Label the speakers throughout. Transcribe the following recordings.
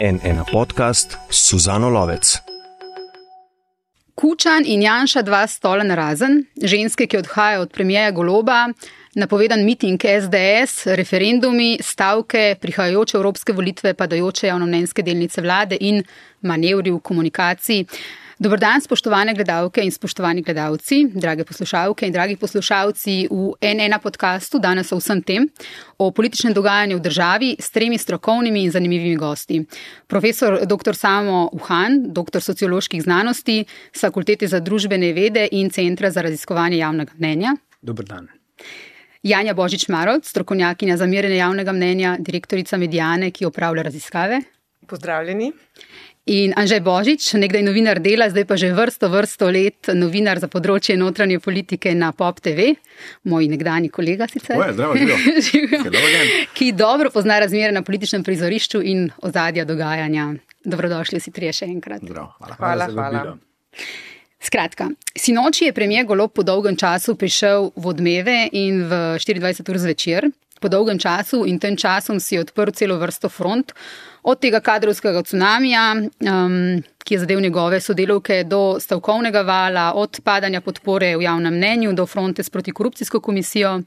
Speaker 1: N1 podcast s Suzano Lovec.
Speaker 2: Kučan in Janša 2 stola narazen, ženske, ki odhajajo od premierja Goloba, napovedan miting SDS, referendumi, stavke, prihajajoče evropske volitve, padajoče javnomnenjske delnice vlade in manevri v komunikaciji. Dober dan, spoštovane gledalke in spoštovani gledalci, drage poslušalke in dragi poslušalci v N1 podcastu, danes o vsem tem, o političnem dogajanju v državi s 3 strokovnimi in zanimivimi gosti. Profesor dr. Samo Uhan, doktor socioloških znanosti s Fakultete za družbene vede in Centra za raziskovanje javnega mnenja.
Speaker 3: Dober dan.
Speaker 2: Janja Božič-Marolt, strokovnjakinja za merjenje javnega mnenja, direktorica Mediane, ki opravlja raziskave.
Speaker 4: Pozdravljeni.
Speaker 2: In Anže Božič, nekdaj novinar Dela, zdaj pa že vrsto let novinar za področje notranje politike na POP TV, moj nekdanji kolega sicer.
Speaker 3: Zdravo.
Speaker 2: Ki dobro pozna razmere na političnem prizorišču in ozadja dogajanja. Dobrodošli vsi trije še enkrat.
Speaker 4: Hvala.
Speaker 2: Skratka, sinoči je premier Golob po dolgem času prišel v Odmeve in v 24 ur zvečer. Po dolgem času in tem časom si odprl celo vrsto front, od tega kadrovskega cunamija, ki je zadev njegove sodelavke, do stavkovnega vala, od padanja podpore v javnem mnenju, do fronte s protikorupcijsko komisijo,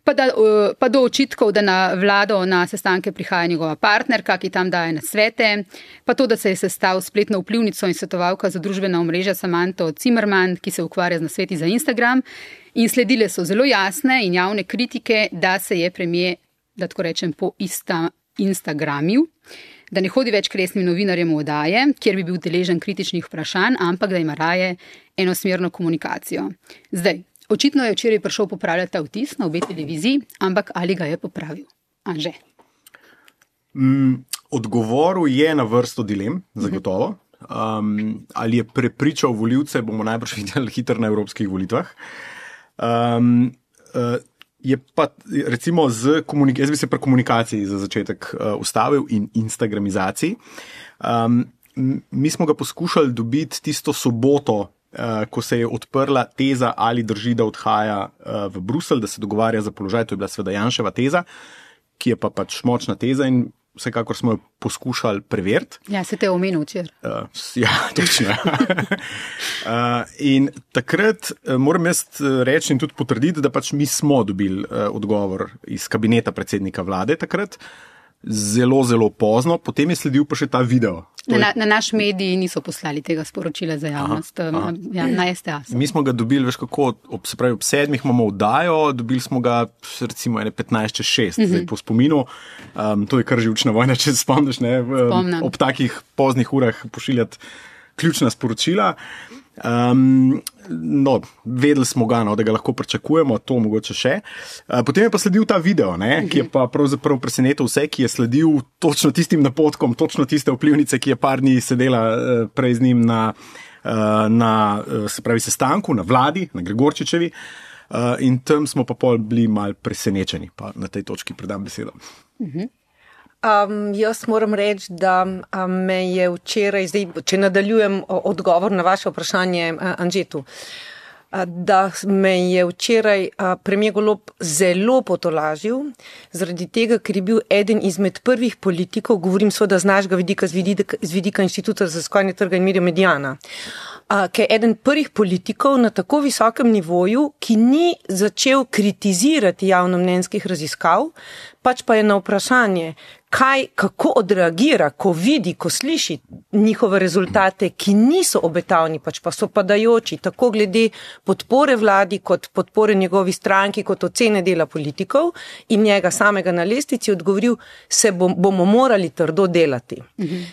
Speaker 2: pa do očitkov, da na vlado na sestanke prihaja njegova partnerka, ki tam daje nasvete, pa to, da se je sestal spletno vplivnico in svetovalka za družbena omrežja Samanto Zimmerman, ki se ukvarja z nasveti za Instagram. In sledile so zelo jasne in javne kritike, da se je premier, da tako rečem, po Instagramil, da ne hodi več k resnim novinarjem v oddaje, kjer bi bil deležen kritičnih vprašanj, ampak da ima raje enosmerno komunikacijo. Zdaj, očitno je včeraj prišel popravljati ta vtis na obe televiziji, ampak ali ga je popravil? Anže?
Speaker 3: Odgovoril je na vrsto dilem, zagotovo. Ali je prepričal volivce, bomo najbrž videli hitro na evropskih volitvah. Je pa recimo jaz bi se pri komunikaciji za začetek ustavil in instagramizaciji. Mi smo ga poskušali dobiti tisto soboto, ko se je odprla teza, ali drži, da odhaja v Bruselj, da se dogovarja za položaj. To je bila seveda Janševa teza, ki je pa pač močna teza in vsekakor smo jo poskušali preveriti.
Speaker 2: Ja, se te je omenil včeraj.
Speaker 3: Ja, točno. In takrat moram jaz reči in tudi potrditi, da pač mi smo dobili odgovor iz kabineta predsednika vlade takrat, zelo pozno, potem je sledil pa še ta video.
Speaker 2: Na naš mediji niso poslali tega sporočila za javnost, na STA.
Speaker 3: Mi smo ga dobili, veš kako, ob 7 imamo oddajo, dobili smo ga recimo 15:06, zdaj po spominu, to je kar živčna vojna, če se spomniš, ne, ob takih poznih urah pošiljati ključna sporočila. Vedeli smo ga, da ga lahko pričakujemo, to mogoče še. Potem je pa sledil ta video, ki je pa pravzaprav presenetil vse, ki je sledil točno tistim napotkom, točno tiste vplivnice, ki je par dni sedela prej z njim na sestanku, na vladi, na Gregorčičevi. In tam smo pa pol bili malo presenečeni, pa na tej točki predam besedo.
Speaker 4: Jaz moram reči, da me je včeraj, zdaj, če nadaljujem odgovor na vaše vprašanje, Anžetu, da me je včeraj premier Golob zelo potolažil, zaradi tega, ker je bil eden izmed prvih politikov, govorim seveda z našega vidika, z vidika Inštituta za raziskovanje trga in medijev Mediana, ki je eden prvih politikov na tako visokem nivoju, ki ni začel kritizirati javnomnenjskih raziskav, pač pa je na vprašanje, kako odreagira, ko vidi, ko sliši njihove rezultate, ki niso obetavni, pač pa so padajoči, tako glede podpore vladi, kot podpore njegovi stranki, kot ocene dela politikov in njega samega na lestvici odgovoril, se bomo morali trdo delati.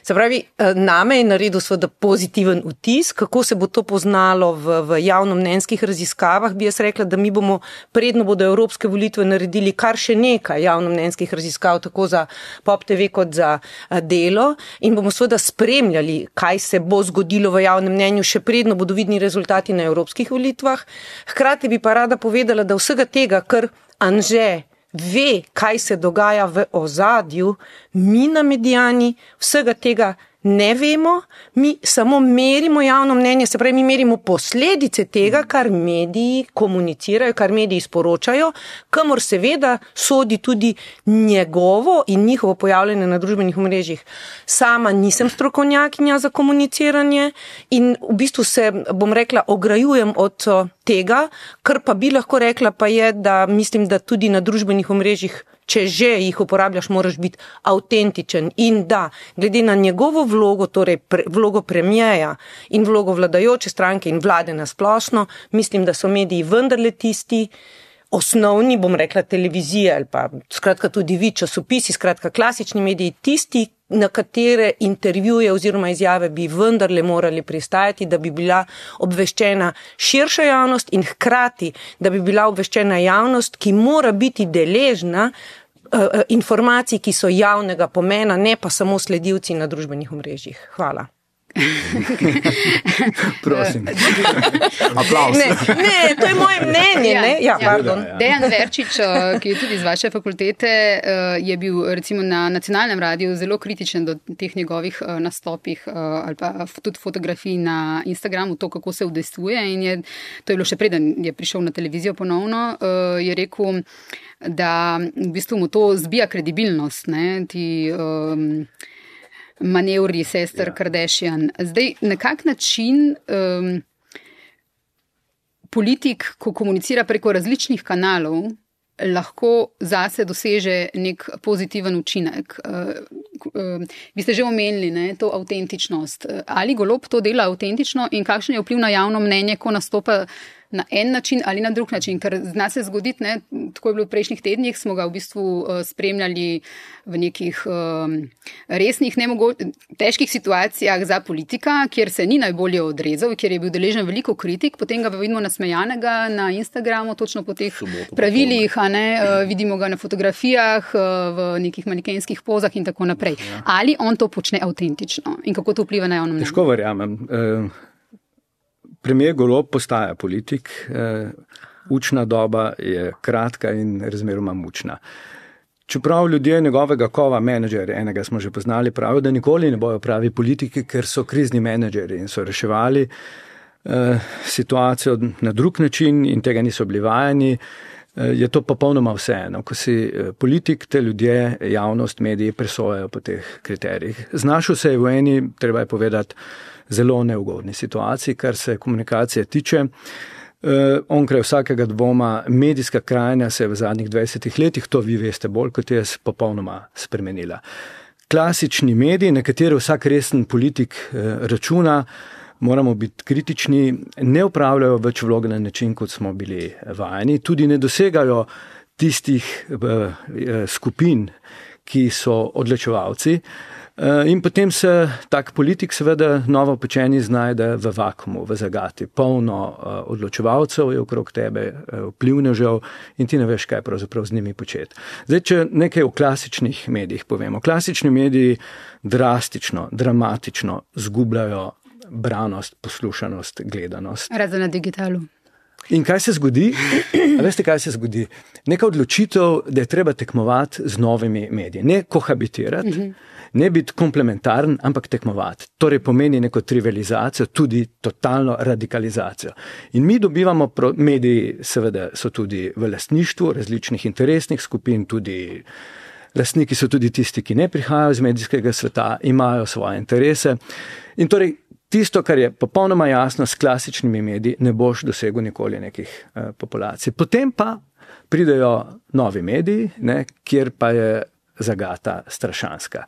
Speaker 4: Se pravi, name je naredil seveda pozitiven vtis, kako se bo to poznalo v javnomnenjskih raziskavah, bi jaz rekla, da mi bomo predno bodo evropske volitve naredili kar še nekaj javnomnenjskih raziskav, tako za POP TV kot za Delo in bomo seveda spremljali, kaj se bo zgodilo v javnem mnenju, še predno bodo vidni rezultati na evropskih volitvah. Hkrati bi pa rada povedala, da vsega tega, kar Anže ve, kaj se dogaja v ozadju, mi na Mediani vsega tega ne vemo, mi samo merimo javno mnenje, se pravi, mi merimo posledice tega, kar mediji komunicirajo, kar mediji sporočajo, kamor seveda sodi tudi njegovo in njihovo pojavljanje na družbenih omrežjih. Sama nisem strokovnjakinja za komuniciranje in v bistvu se, bom rekla, ograjujem od tega, kar pa bi lahko rekla pa je, da mislim, da tudi na družbenih omrežjih, če že jih uporabljaš, moraš biti avtentičen in da, glede na njegovo vlogo, torej vlogo premijeja in vlogo vladajoče stranke in vlade na splošno, mislim, da so mediji vendarle tisti osnovni, bom rekla, televizija ali pa skratka tudi vi, časopisi, skratka klasični mediji, tisti, na katere intervjuje oziroma izjave bi vendarle morali pristajati, da bi bila obveščena širša javnost in hkrati, da bi bila obveščena javnost, ki mora biti deležna informacij, ki so javnega pomena, ne pa samo sledilci na družbenih omrežjih. Hvala.
Speaker 3: Prosim. Aplauz.
Speaker 4: Ne, to je moje mnenje. Ja, pardon.
Speaker 2: Dejan Verčič, ki je tudi z vaše fakultete, je bil recimo na nacionalnem radiju zelo kritičen do teh njegovih nastopih ali pa tudi fotografij na Instagramu, to, kako se udejstvuje in to je bilo še preden je prišel na televizijo ponovno, je rekel, da v bistvu mu to zbija kredibilnost, ne, ti manevri sester Kardashian. Zdaj, na kak način politik, ko komunicira preko različnih kanalov, lahko zase doseže nek pozitiven učinek? Vi ste že omenili, ne, to avtentičnost. Ali Golob to dela avtentično in kakšen je vpliv na javno mnenje, ko nastopa na en način ali na drug način, ker zna se zgoditi, ne, tako je bilo v prejšnjih tednih, smo ga v bistvu spremljali v nekih resnih, težkih situacijah za politika, kjer se ni najbolje odrezal, kjer je bil deležen veliko kritik, potem ga vidimo nasmejanega na Instagramu, točno po teh pravilih, vidimo ga na fotografijah, v nekih manekenskih pozah in tako naprej. Ali on to počne avtentično in kako to vpliva na javno mnenje?
Speaker 5: Težko verjamem. Premijer Golob postaja politik, učna doba je kratka in razmeroma mučna. Čeprav ljudje njegovega kova, menedžer, enega smo že poznali, pravijo, da nikoli ne bojo pravi politiki, ker so krizni menedžeri in so reševali situacijo na drug način in tega niso bili vajeni, je to popolnoma vseeno. Ko si politik, te ljudje, javnost, mediji presojajo po teh kriterijih. Znašel se je v eni, treba je povedati, zelo neugodni situaciji, kar se komunikacije tiče. Onkraj vsakega dvoma, medijska krajina se je v zadnjih 20 letih, to vi veste bolj kot jaz, popolnoma spremenila. Klasični mediji, na katere vsak resen politik računa, moramo biti kritični, ne upravljajo več vloge na način, kot smo bili vajeni, tudi ne dosegajo tistih skupin, ki so odločevalci. In potem se tak politik seveda novopečeni znajde v vakumu, v zagati. Polno odločevalcev je okrog tebe, vplivnežev in ti ne veš, kaj pravzaprav z njimi početi. Zdaj, če nekaj o klasičnih medijih povemo. Klasični mediji drastično, dramatično zgubljajo branost, poslušanost, gledanost.
Speaker 2: Razen na digitalu.
Speaker 5: In kaj se zgodi? A veste, kaj se zgodi? Neka odločitev, da je treba tekmovati z novimi mediji. Ne kohabitirati, ne biti komplementaren, ampak tekmovati. Torej pomeni neko trivializacijo, tudi totalno radikalizacijo. In mi dobivamo, mediji seveda so tudi v lastništvu različnih interesnih skupin, tudi lastniki so tudi tisti, ki ne prihajajo iz medijskega sveta, imajo svoje interese. In torej tisto, kar je popolnoma jasno, s klasičnimi mediji ne boš dosegel nikoli nekih populacij. Potem pa pridejo novi mediji, kjer pa je zagata strašanska.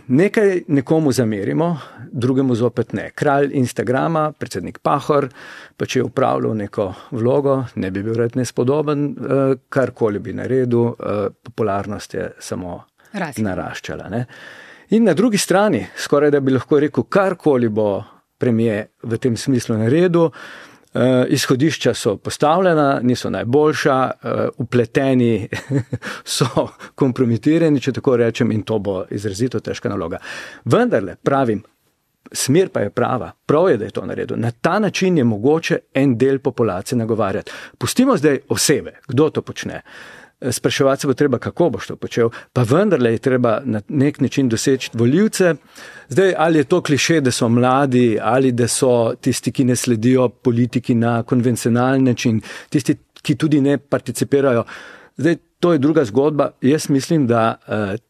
Speaker 5: Nekaj nekomu zamerimo, drugemu zopet ne. Kralj Instagrama, predsednik Pahor, pa če je upravljal neko vlogo, ne bi bil red nespodoben, karkoli bi naredil, popularnost je samo naraščala. Ne? In na drugi strani, skoraj da bi lahko rekel, karkoli bo premijer v tem smislu naredil, izhodišča so postavljena, niso najboljša, upleteni so kompromitirani, če tako rečem, in to bo izrazito težka naloga. Vendarle, pravim, smer pa je prava, prav je, da je to naredil. Na ta način je mogoče en del populacije nagovarjati. Pustimo zdaj osebe, kdo to počne. spraševati se bo treba, kako boš to počel, pa vendarle je treba na nek način doseči volivce. Zdaj, ali je to kliše, da so mladi, ali da so tisti, ki ne sledijo politiki na konvencionalen način, tisti, ki tudi ne participirajo. Zdaj, to je druga zgodba. Jaz mislim, da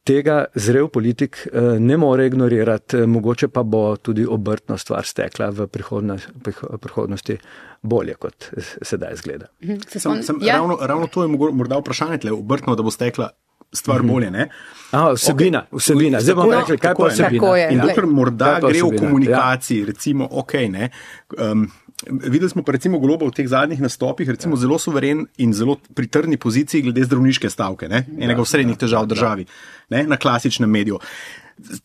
Speaker 5: tega zrel politik ne more ignorirati, mogoče pa bo tudi obrtno stvar stekla v prihodnosti bolje, kot sedaj izgleda.
Speaker 3: Ravno to je morda vprašanje tle, obrtno, da bo stekla stvar bolje, ne?
Speaker 5: Vsebina. Zdaj bomo rekli, kaj pa vsebina.
Speaker 3: In dokler morda gre v komunikaciji, recimo, ne, videli smo pa recimo Goloba v teh zadnjih nastopih, recimo zelo suveren in zelo pri trdni poziciji glede zdravniške stavke, ne? Enega srednjih težav v državi, ne? Na klasičnem mediju.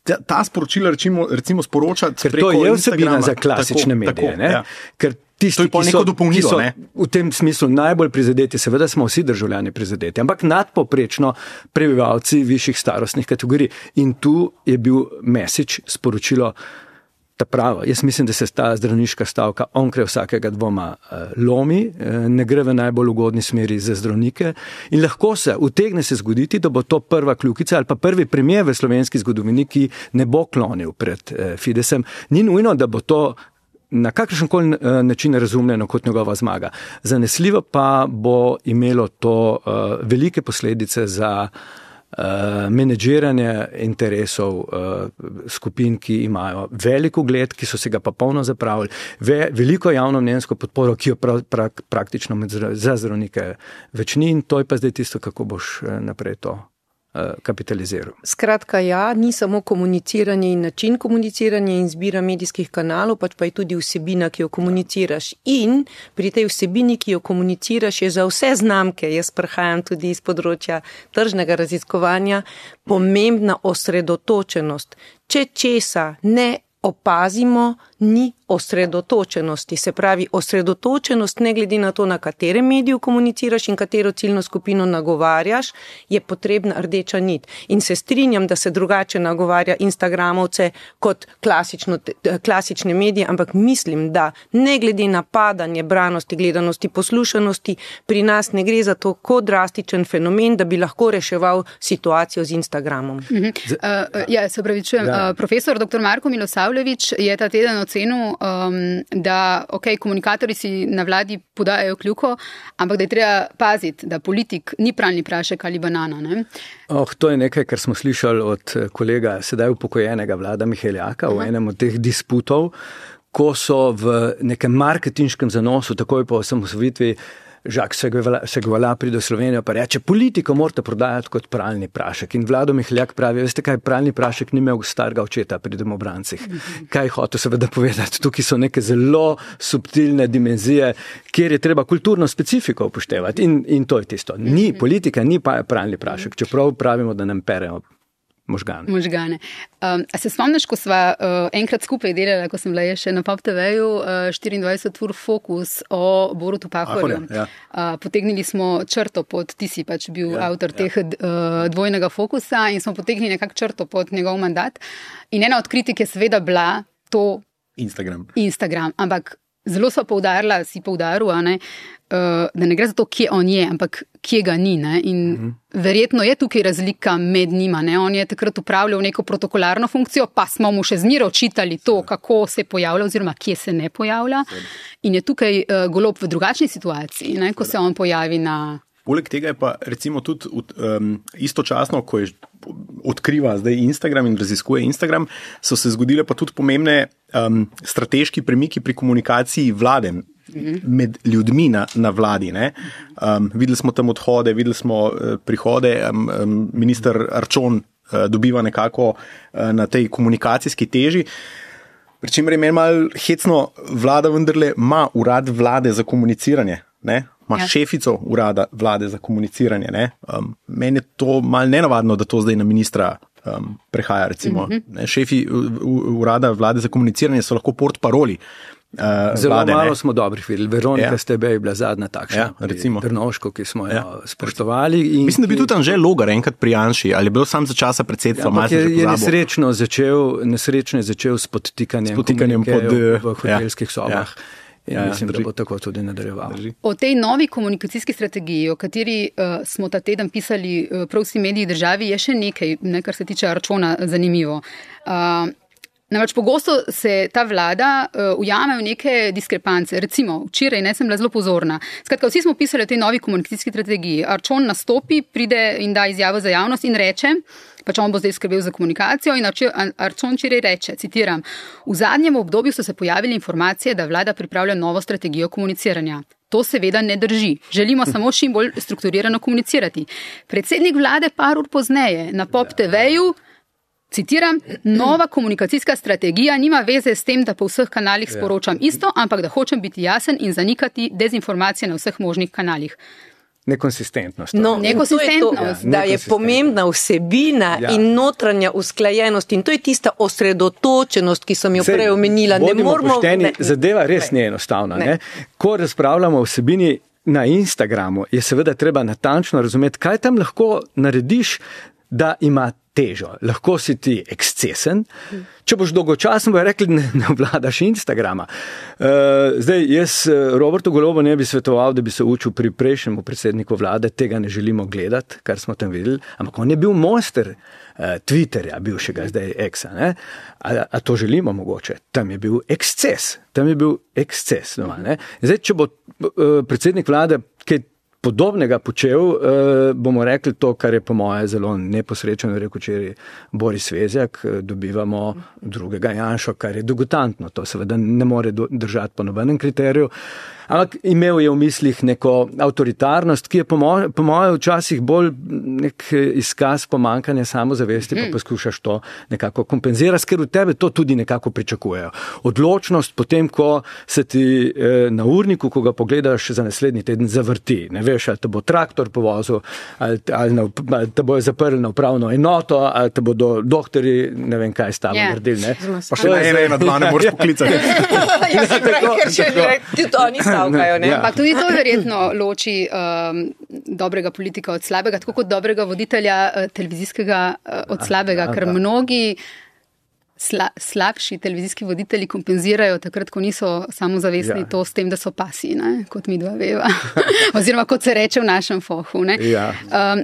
Speaker 3: Ta sporočila recimo sporočati preko Instagrama. Ker to je vsebina za klasične medije, ne? Ker tisti, ki so v tem smislu najbolj prizadeti, seveda smo vsi državljani prizadeti, ampak nadpoprečno prebivalci višjih starostnih kategorij. In tu je bil message, sporočilo ta pravo. Jaz mislim, da se ta zdravniška stavka onkraj vsakega dvoma lomi, ne gre v najbolj ugodni smeri za zdravnike in lahko se utegne se zgoditi, da bo to prva kljukica ali pa prvi premier v slovenski zgodovini, ki ne bo klonil pred Fidesem. Ni nujno, da bo to na kakršenkoli način razumljeno kot njegova zmaga. Zanesljivo pa bo imelo to velike posledice za menedžiranje interesov skupin, ki imajo velik ugled, ki so se ga pa polno zapravili, veliko javnomnenjsko podporo, ki jo praktično za zdravnike več ni, in to je pa zdaj tisto, kako boš naprej to kapitaliziral.
Speaker 4: Skratka, ni samo komuniciranje in način komuniciranja in zbira medijskih kanalov, pač pa je tudi vsebina, ki jo komuniciraš. In pri tej vsebini, ki jo komuniciraš, je za vse znamke, jaz prihajam tudi iz področja tržnega raziskovanja, pomembna osredotočenost. Če česa ne opazimo, ni osredotočenosti. Se pravi, osredotočenost ne glede na to, na katerem mediju komuniciraš in katero ciljno skupino nagovarjaš, je potrebna rdeča nit. In se strinjam, da se drugače nagovarja Instagramovce kot klasične medije, ampak mislim, da ne glede na padanje branosti, gledanosti, poslušanosti, pri nas ne gre za to tako drastičen fenomen, da bi lahko reševal situacijo z Instagramom.
Speaker 2: Se pravičujem. Profesor dr. Marko Milosavljević je ta teden ocenil, da komunikatorji si na vladi podajajo kljuko, ampak da je treba paziti, da politik ni pralni prašek ali banana. Ne?
Speaker 5: To je nekaj, kar smo slišali od kolega sedaj upokojenega Vlada Miheljaka v enem od teh disputov, ko so v nekem marketinškem zanosu, takoj po osamosvojitvi, Žak Segvala pride v Slovenijo pa reče, politiko morate prodajati kot pralni prašek. In Vlado Miheljak pravi, veste kaj, pralni prašek ni imel starega očeta pri domobrancih. Kaj hotel seveda povedati? Tukaj so neke zelo subtilne dimenzije, kjer je treba kulturno specifiko upoštevati. In to je tisto. Politika ni pa pralni prašek, čeprav pravimo, da nam perejo možgane. A se spomniš, ko sva enkrat skupaj delala, ko sem bila še na Pop TV-ju 24 ur fokus o Borutu Pahorju. Potegnili smo črto pod, ti si pač bil avtor teh dvojnega fokusa in smo potegnili nekak črto pod njegov mandat. In ena od kritik je seveda bila to Instagram. Ampak zelo sva poudarila, si poudaril, da ne gre za to, kje on je, ampak kje ga ni. Ne? In verjetno je tukaj razlika med njima. Ne? On je takrat upravljal neko protokolarno funkcijo, pa smo mu še zmeraj očitali to, kako se pojavlja oziroma kje se ne pojavlja. In je tukaj Golob v drugačni situaciji, ne? Ko se on pojavi na...
Speaker 3: Poleg tega je pa recimo tudi istočasno, ko je odkriva zdaj Instagram in raziskuje Instagram, so se zgodile pa tudi pomembne strateški premiki pri komunikaciji vlade med ljudmi na vladi. Ne? Videli smo tam odhode, videli smo prihode, minister Arčon dobiva nekako na tej komunikacijski teži. Pričemer je meni malo hecno, vlada vendarle ima urad vlade za komuniciranje, ne? Ima šefico urada vlade za komuniciranje. Ne? Meni je to malo nenavadno, da to zdaj na ministra prehaja. Recimo. Šefi urada vlade za komuniciranje so lahko portparoli
Speaker 5: Zelo
Speaker 3: vlade.
Speaker 5: Malo smo dobrih videli. Veronika Stebe je bila zadnja takšna. Trnovško, ki smo jo spoštovali.
Speaker 3: Mislim, da bi tudi Anže Logar enkrat pri Janši, ali je bil sam za časa predsedstva.
Speaker 5: Je nesrečno začel s podtikanjem v hotelskih sobah. mislim, da bo tako tudi nadaljeval.
Speaker 2: O tej novi komunikacijski strategiji, o kateri smo ta teden pisali prav vsi mediji državi, je še nekaj, kar se tiče Arčona, zanimivo. Namreč pogosto se ta vlada ujame v neke diskrepance. Recimo, včeraj sem bila zelo pozorna. Skratka, vsi smo pisali o tej novi komunikacijski strategiji. Arčon nastopi, pride in da izjavo za javnost in reče, pač on bo zdaj skrbel za komunikacijo in Arčon včeraj reče, citiram, v zadnjem obdobju so se pojavile informacije, da vlada pripravlja novo strategijo komuniciranja. To seveda ne drži. Želimo samo čim bolj strukturirano komunicirati. Predsednik vlade par ur pozneje na Pop TV-ju, citiram, nova komunikacijska strategija nima veze s tem, da po vseh kanalih sporočam isto, ampak da hočem biti jasen in zanikati dezinformacije na vseh možnih kanalih.
Speaker 5: Nekonsistentnost.
Speaker 4: No, nekonsistentnost. Da je pomembna vsebina in notranja usklajenost in to je tista osredotočenost, ki sem jo prej omenila.
Speaker 5: Bodimo pošteni, zadeva res ni enostavna. Ne. Ko razpravljamo o vsebini na Instagramu, je seveda treba natančno razumeti, kaj tam lahko narediš, da ima težo. Lahko si ti ekscesen, če boš dolgočasen, bojo rekli, ne obvladaš Instagrama. Zdaj, jaz Robertu Golobu ne bi svetoval, da bi se učil pri prejšnjemu predsedniku vlade, tega ne želimo gledati, kar smo tam videli, ampak on je bil mojster Twitterja, bivšega zdaj Exa. Ne? A to želimo mogoče? Tam je bil eksces. Doma, ne? Zdaj, če bo predsednik vlade kaj podobnega počel, bomo rekli to, kar je po moje zelo neposrečeno, rekel včeraj Boris Vezjak, dobivamo drugega Janšo, kar je degutantno. To seveda ne more držati po nobenem kriteriju. Ampak imel je v mislih neko avtoritarnost, ki je po moje včasih bolj nek izkaz pomankanja samozavesti, pa poskušaš to nekako kompenzirati, ker v tebe to tudi nekako pričakujejo. Odločnost potem, ko se ti na urniku, ko ga pogledaš za naslednji teden, zavrti. Ne veš, ali te bo traktor povozil, ali te bojo zaprli na upravno enoto, ali te bodo doktori, ne vem kaj stalo naredili. Ne?
Speaker 3: Pa še na dva ne moreš poklicati.
Speaker 4: Ja, se pravi, ker še tudi oni stavkajo.
Speaker 2: Ampak tudi to verjetno loči dobrega politika od slabega, tako kot dobrega voditelja televizijskega od slabega, ker mnogi slabši televizijski voditelji kompenzirajo takrat, ko niso samozavestni to s tem, da so pasi, ne? Kot mi dva veva. Oziroma, kot se reče v našem fohu. Ne?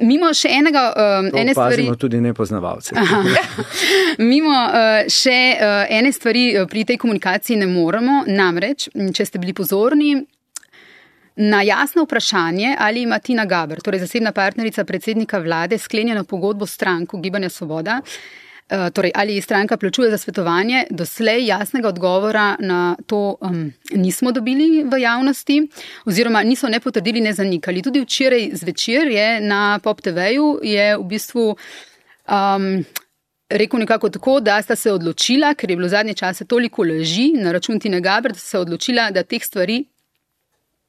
Speaker 2: Mimo še ene stvari...
Speaker 5: Pazimo tudi nepoznavalce.
Speaker 2: Mimo še ene stvari pri tej komunikaciji ne moremo, namreč, če ste bili pozorni, na jasno vprašanje, ali ima Tina Gaber, torej zasebna partnerica predsednika vlade, sklenjeno pogodbo s stranko Gibanja Svoboda, torej ali stranka plačuje za svetovanje, doslej jasnega odgovora na to nismo dobili v javnosti, oziroma niso ne potrdili, ne zanikali. Tudi včeraj zvečer je na Pop TV-ju je v bistvu rekel nekako tako, da sta se odločila, ker je bilo zadnje čase toliko laži na račun Tine Gaber, da sta se odločila, da teh stvari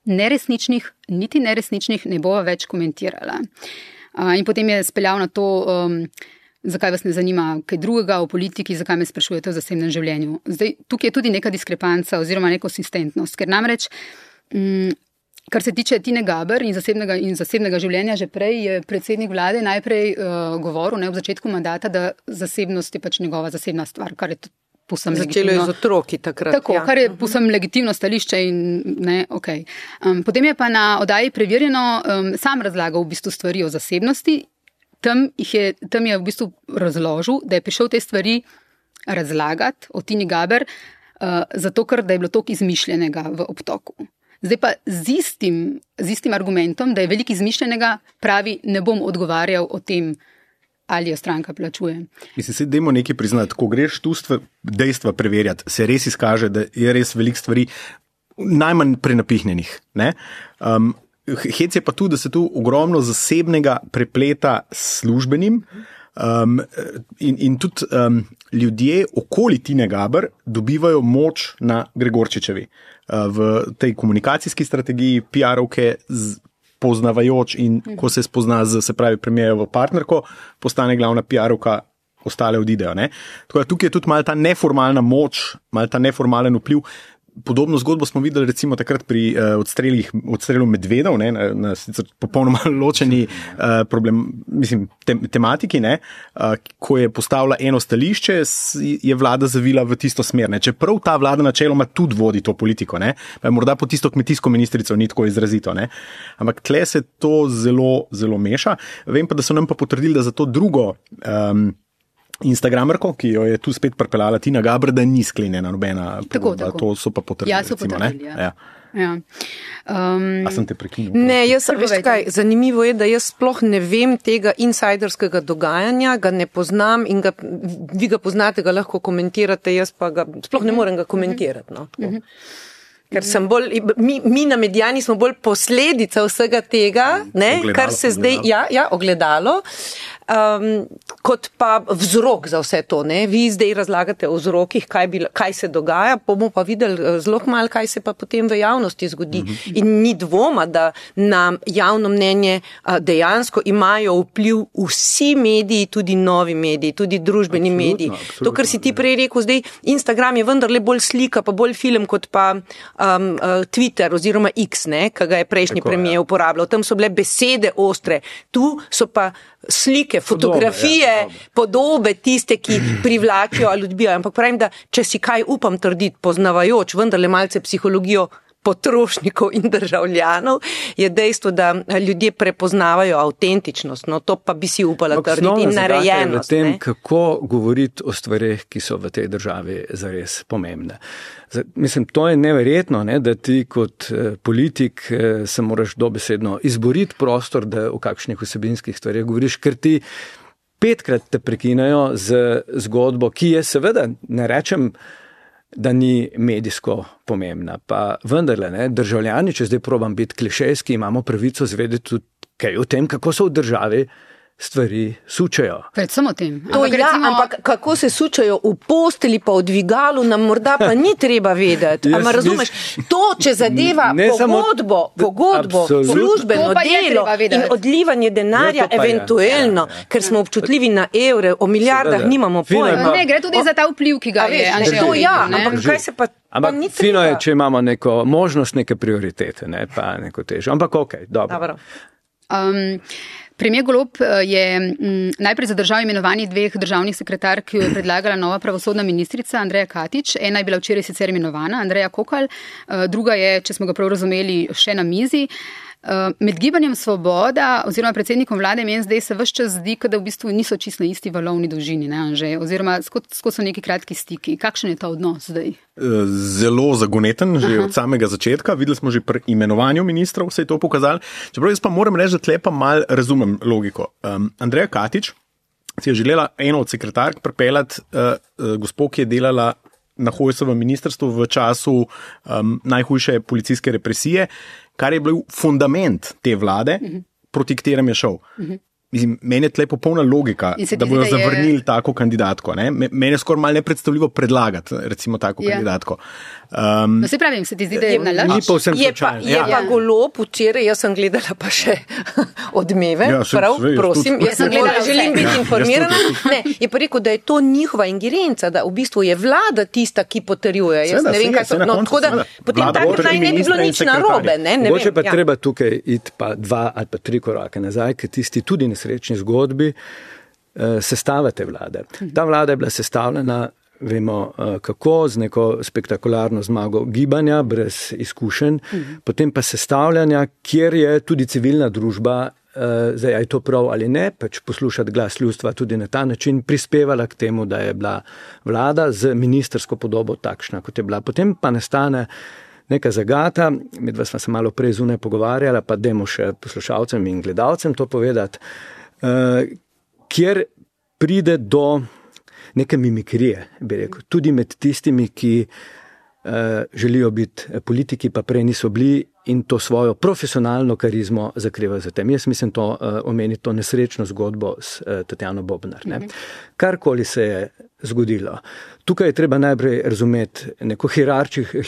Speaker 2: neresničnih, niti neresničnih ne bova več komentirala. In potem je speljal na to... Zakaj vas ne zanima kaj drugega o politiki, zakaj me sprašujete o zasebnem življenju. Zdaj, tukaj je tudi neka diskrepanca oziroma nekonsistentnost, ker namreč, kar se tiče Tine Gaber in zasebnega življenja, že prej je predsednik vlade najprej govoril, v začetku mandata, da zasebnost je pač njegova zasebna stvar, kar je povsem legitimno.
Speaker 4: Začelo je z otroki takrat.
Speaker 2: Tako, kar je povsem legitimno stališče in ne, okej. Potem je pa na oddaji Preverjeno sam razlagal v bistvu stvari o zasebnosti. Tam je v bistvu razložil, da je prišel te stvari razlagati o Tini Gaber, zato ker da je bilo toliko izmišljenega v obtoku. Zdaj pa z istim argumentom, da je veliko izmišljenega, pravi, ne bom odgovarjal o tem, ali jo stranka plačuje.
Speaker 3: Mislim, se dajmo nekaj priznati, ko greš tu dejstva preverjati, se res izkaže, da je res veliko stvari najmanj prenapihnjenih. Ne? Hec je pa tu, da se tu ogromno zasebnega prepleta s službenim in tudi ljudje okoli Tine Gaber dobivajo moč na Gregorčičevi. V tej komunikacijski strategiji PR-ovke poznavajoč in ko se spozna se pravi premijerovo partnerko, postane glavna PR-ovka, ostale odidejo. Ne? Tako da tukaj je tudi malo ta neformalna moč, malo ta neformalen vpliv. Podobno zgodbo smo videli recimo takrat pri odstrelu medvedov, ne, na sicer popolnoma ločeni tematiki, ne, ko je postavila eno stališče, je vlada zavila v tisto smer. Ne. Čeprav ta vlada načeloma tudi vodi to politiko, ne, morda po tisto kmetijsko ministrico ni tako izrazito. Ne. Ampak tle se to zelo, zelo meša. Vem pa, da so nam pa potrdili, da za to drugo Instagramerko, ki jo je tu spet pripeljala Tina Gaber, da ni sklenjena nobena pogodba. To so pa potrdili.
Speaker 2: Ja, so potrdili,
Speaker 3: ja.
Speaker 2: Ja.
Speaker 3: A sem te prekinil?
Speaker 4: Ne, veš kaj, zanimivo je, da jaz sploh ne vem tega insajderskega dogajanja, ga ne poznam in vi ga poznate, ga lahko komentirate, jaz pa ga sploh ne morem ga komentirati. No, ker sem mi na Medijani smo bolj posledica vsega tega, ne, kar se zdaj, ogledalo. Kot pa vzrok za vse to. Ne? Vi zdaj razlagate o vzrokih, kaj se dogaja, bomo pa videli zelo malo, kaj se pa potem v javnosti zgodi. In ni dvoma, da na javno mnenje dejansko imajo vpliv vsi mediji, tudi novi mediji, tudi družbeni mediji. Absolutno. To, kar si ti prej rekel, zdaj Instagram je vendarle bolj slika, pa bolj film, kot pa Twitter oziroma X, ki ga je prejšnji premijer uporabljal. Tam so bile besede ostre, tu so pa slike, fotografije, podobe tiste, ki privlačijo ali odbijajo. Ampak pravim, da če si kaj upam trditi, poznavajoč vendarle malce psihologijo potrošnikov in državljanov, je dejstvo, da ljudje prepoznavajo avtentičnost. No, to pa bi si upala trditi in narejenost.
Speaker 5: V tem, kako govoriti o stvareh, ki so v tej državi zares pomembne. Mislim, to je neverjetno, ne, da ti kot politik se moraš dobesedno izboriti prostor, da o kakšnih vsebinskih stvareh govoriš, ker ti 5-krat te prekinajo z zgodbo, ki je seveda, ne rečem, da ni medijsko pomembna. Pa vendarle, ne, državljani, če zdaj probam biti klišejski, imamo pravico zvedeti tudi kaj o tem, kako so v državi stvari sučajo.
Speaker 2: Predvsem o tem.
Speaker 4: Ampak kako se sučajo v posteli pa v dvigalu, nam morda pa ni treba vedeti. Ampak razumeš, to, če zadeva pogodbo, službeno delo in odlivanje denarja, eventuelno, ker smo občutljivi na evre, o milijardah nimamo pojma.
Speaker 2: Ne, gre tudi za ta vpliv, ki ga je.
Speaker 4: Ampak kaj se pa
Speaker 5: Ampak fino je, če imamo neko možnost, neke prioritete, ne, pa neko težo. Ampak okej, dobro.
Speaker 2: Premijer Golob je najprej zadržal imenovanje 2 državnih sekretark, ki jo je predlagala nova pravosodna ministrica Andreja Katič. Ena je bila včeraj sicer imenovana, Andreja Kokalj, druga je, če smo ga prav razumeli, še na mizi. Med Gibanjem Svoboda oziroma predsednikom vlade meni zdaj se ves čas zdi, da v bistvu niso čisto na isti valovni dolžini, ne, Anže? Oziroma, skozi so neki kratki stiki. Kakšen je ta odnos zdaj?
Speaker 3: Zelo zagoneten, že od samega začetka. Videli smo že pri imenovanju ministrov, se je to pokazalo. Čeprav jaz pa moram reči, da tle pa mal razumem logiko. Andreja Katič si je želela eno od sekretark pripeljati gospo, ki je delala na Hojsovem ministrstvu v času najhujše policijske represije, kar je bil fundament te vlade, proti katerem je šel. Mislim, meni je tle popolna logika, da bodo zavrnili tako kandidatko. Ne? Meni je skoraj malo nepredstavljivo predlagati, recimo, tako kandidatko.
Speaker 2: No, se pravim, se ti zdi, da je na laž?
Speaker 4: Je pa Golob včeraj, jaz sem gledala pa še Odmeve, prosim, jaz sem gledala, želim biti informirana. Ne, je pa rekel, da je to njihova ingerenca, da v bistvu je vlada tista, ki potrjuje. Jaz ne vem, kaj so. No, tako da potem tako naj ne bi bilo nič narobe.
Speaker 5: Mogoče pa treba tukaj iti pa 2 ali pa 3 korake nazaj, ker tisti tudi nesrečni zgodbi sestave te vlade. Ta vlada je bila sestavljena, vemo kako, z neko spektakularno zmago gibanja, brez izkušenj, potem pa sestavljanja, kjer je tudi civilna družba, zdaj je to prav ali ne, pač poslušati glas ljudstva tudi na ta način prispevala k temu, da je bila vlada z ministrsko podobo takšna, kot je bila. Potem pa nastane neka zagata, medva smo se malo prej zunaj pogovarjala, pa dajmo še poslušalcem in gledalcem to povedati, kjer pride do neke mimikrije, bi rekel, tudi med tistimi, ki želijo biti politiki, pa prej niso bili in to svojo profesionalno karizmo zakrivajo za tem. Jaz mislim to omeniti to nesrečno zgodbo s Tatjano Bobnar. Ne? Karkoli se je zgodilo. Tukaj je treba najprej razumeti neko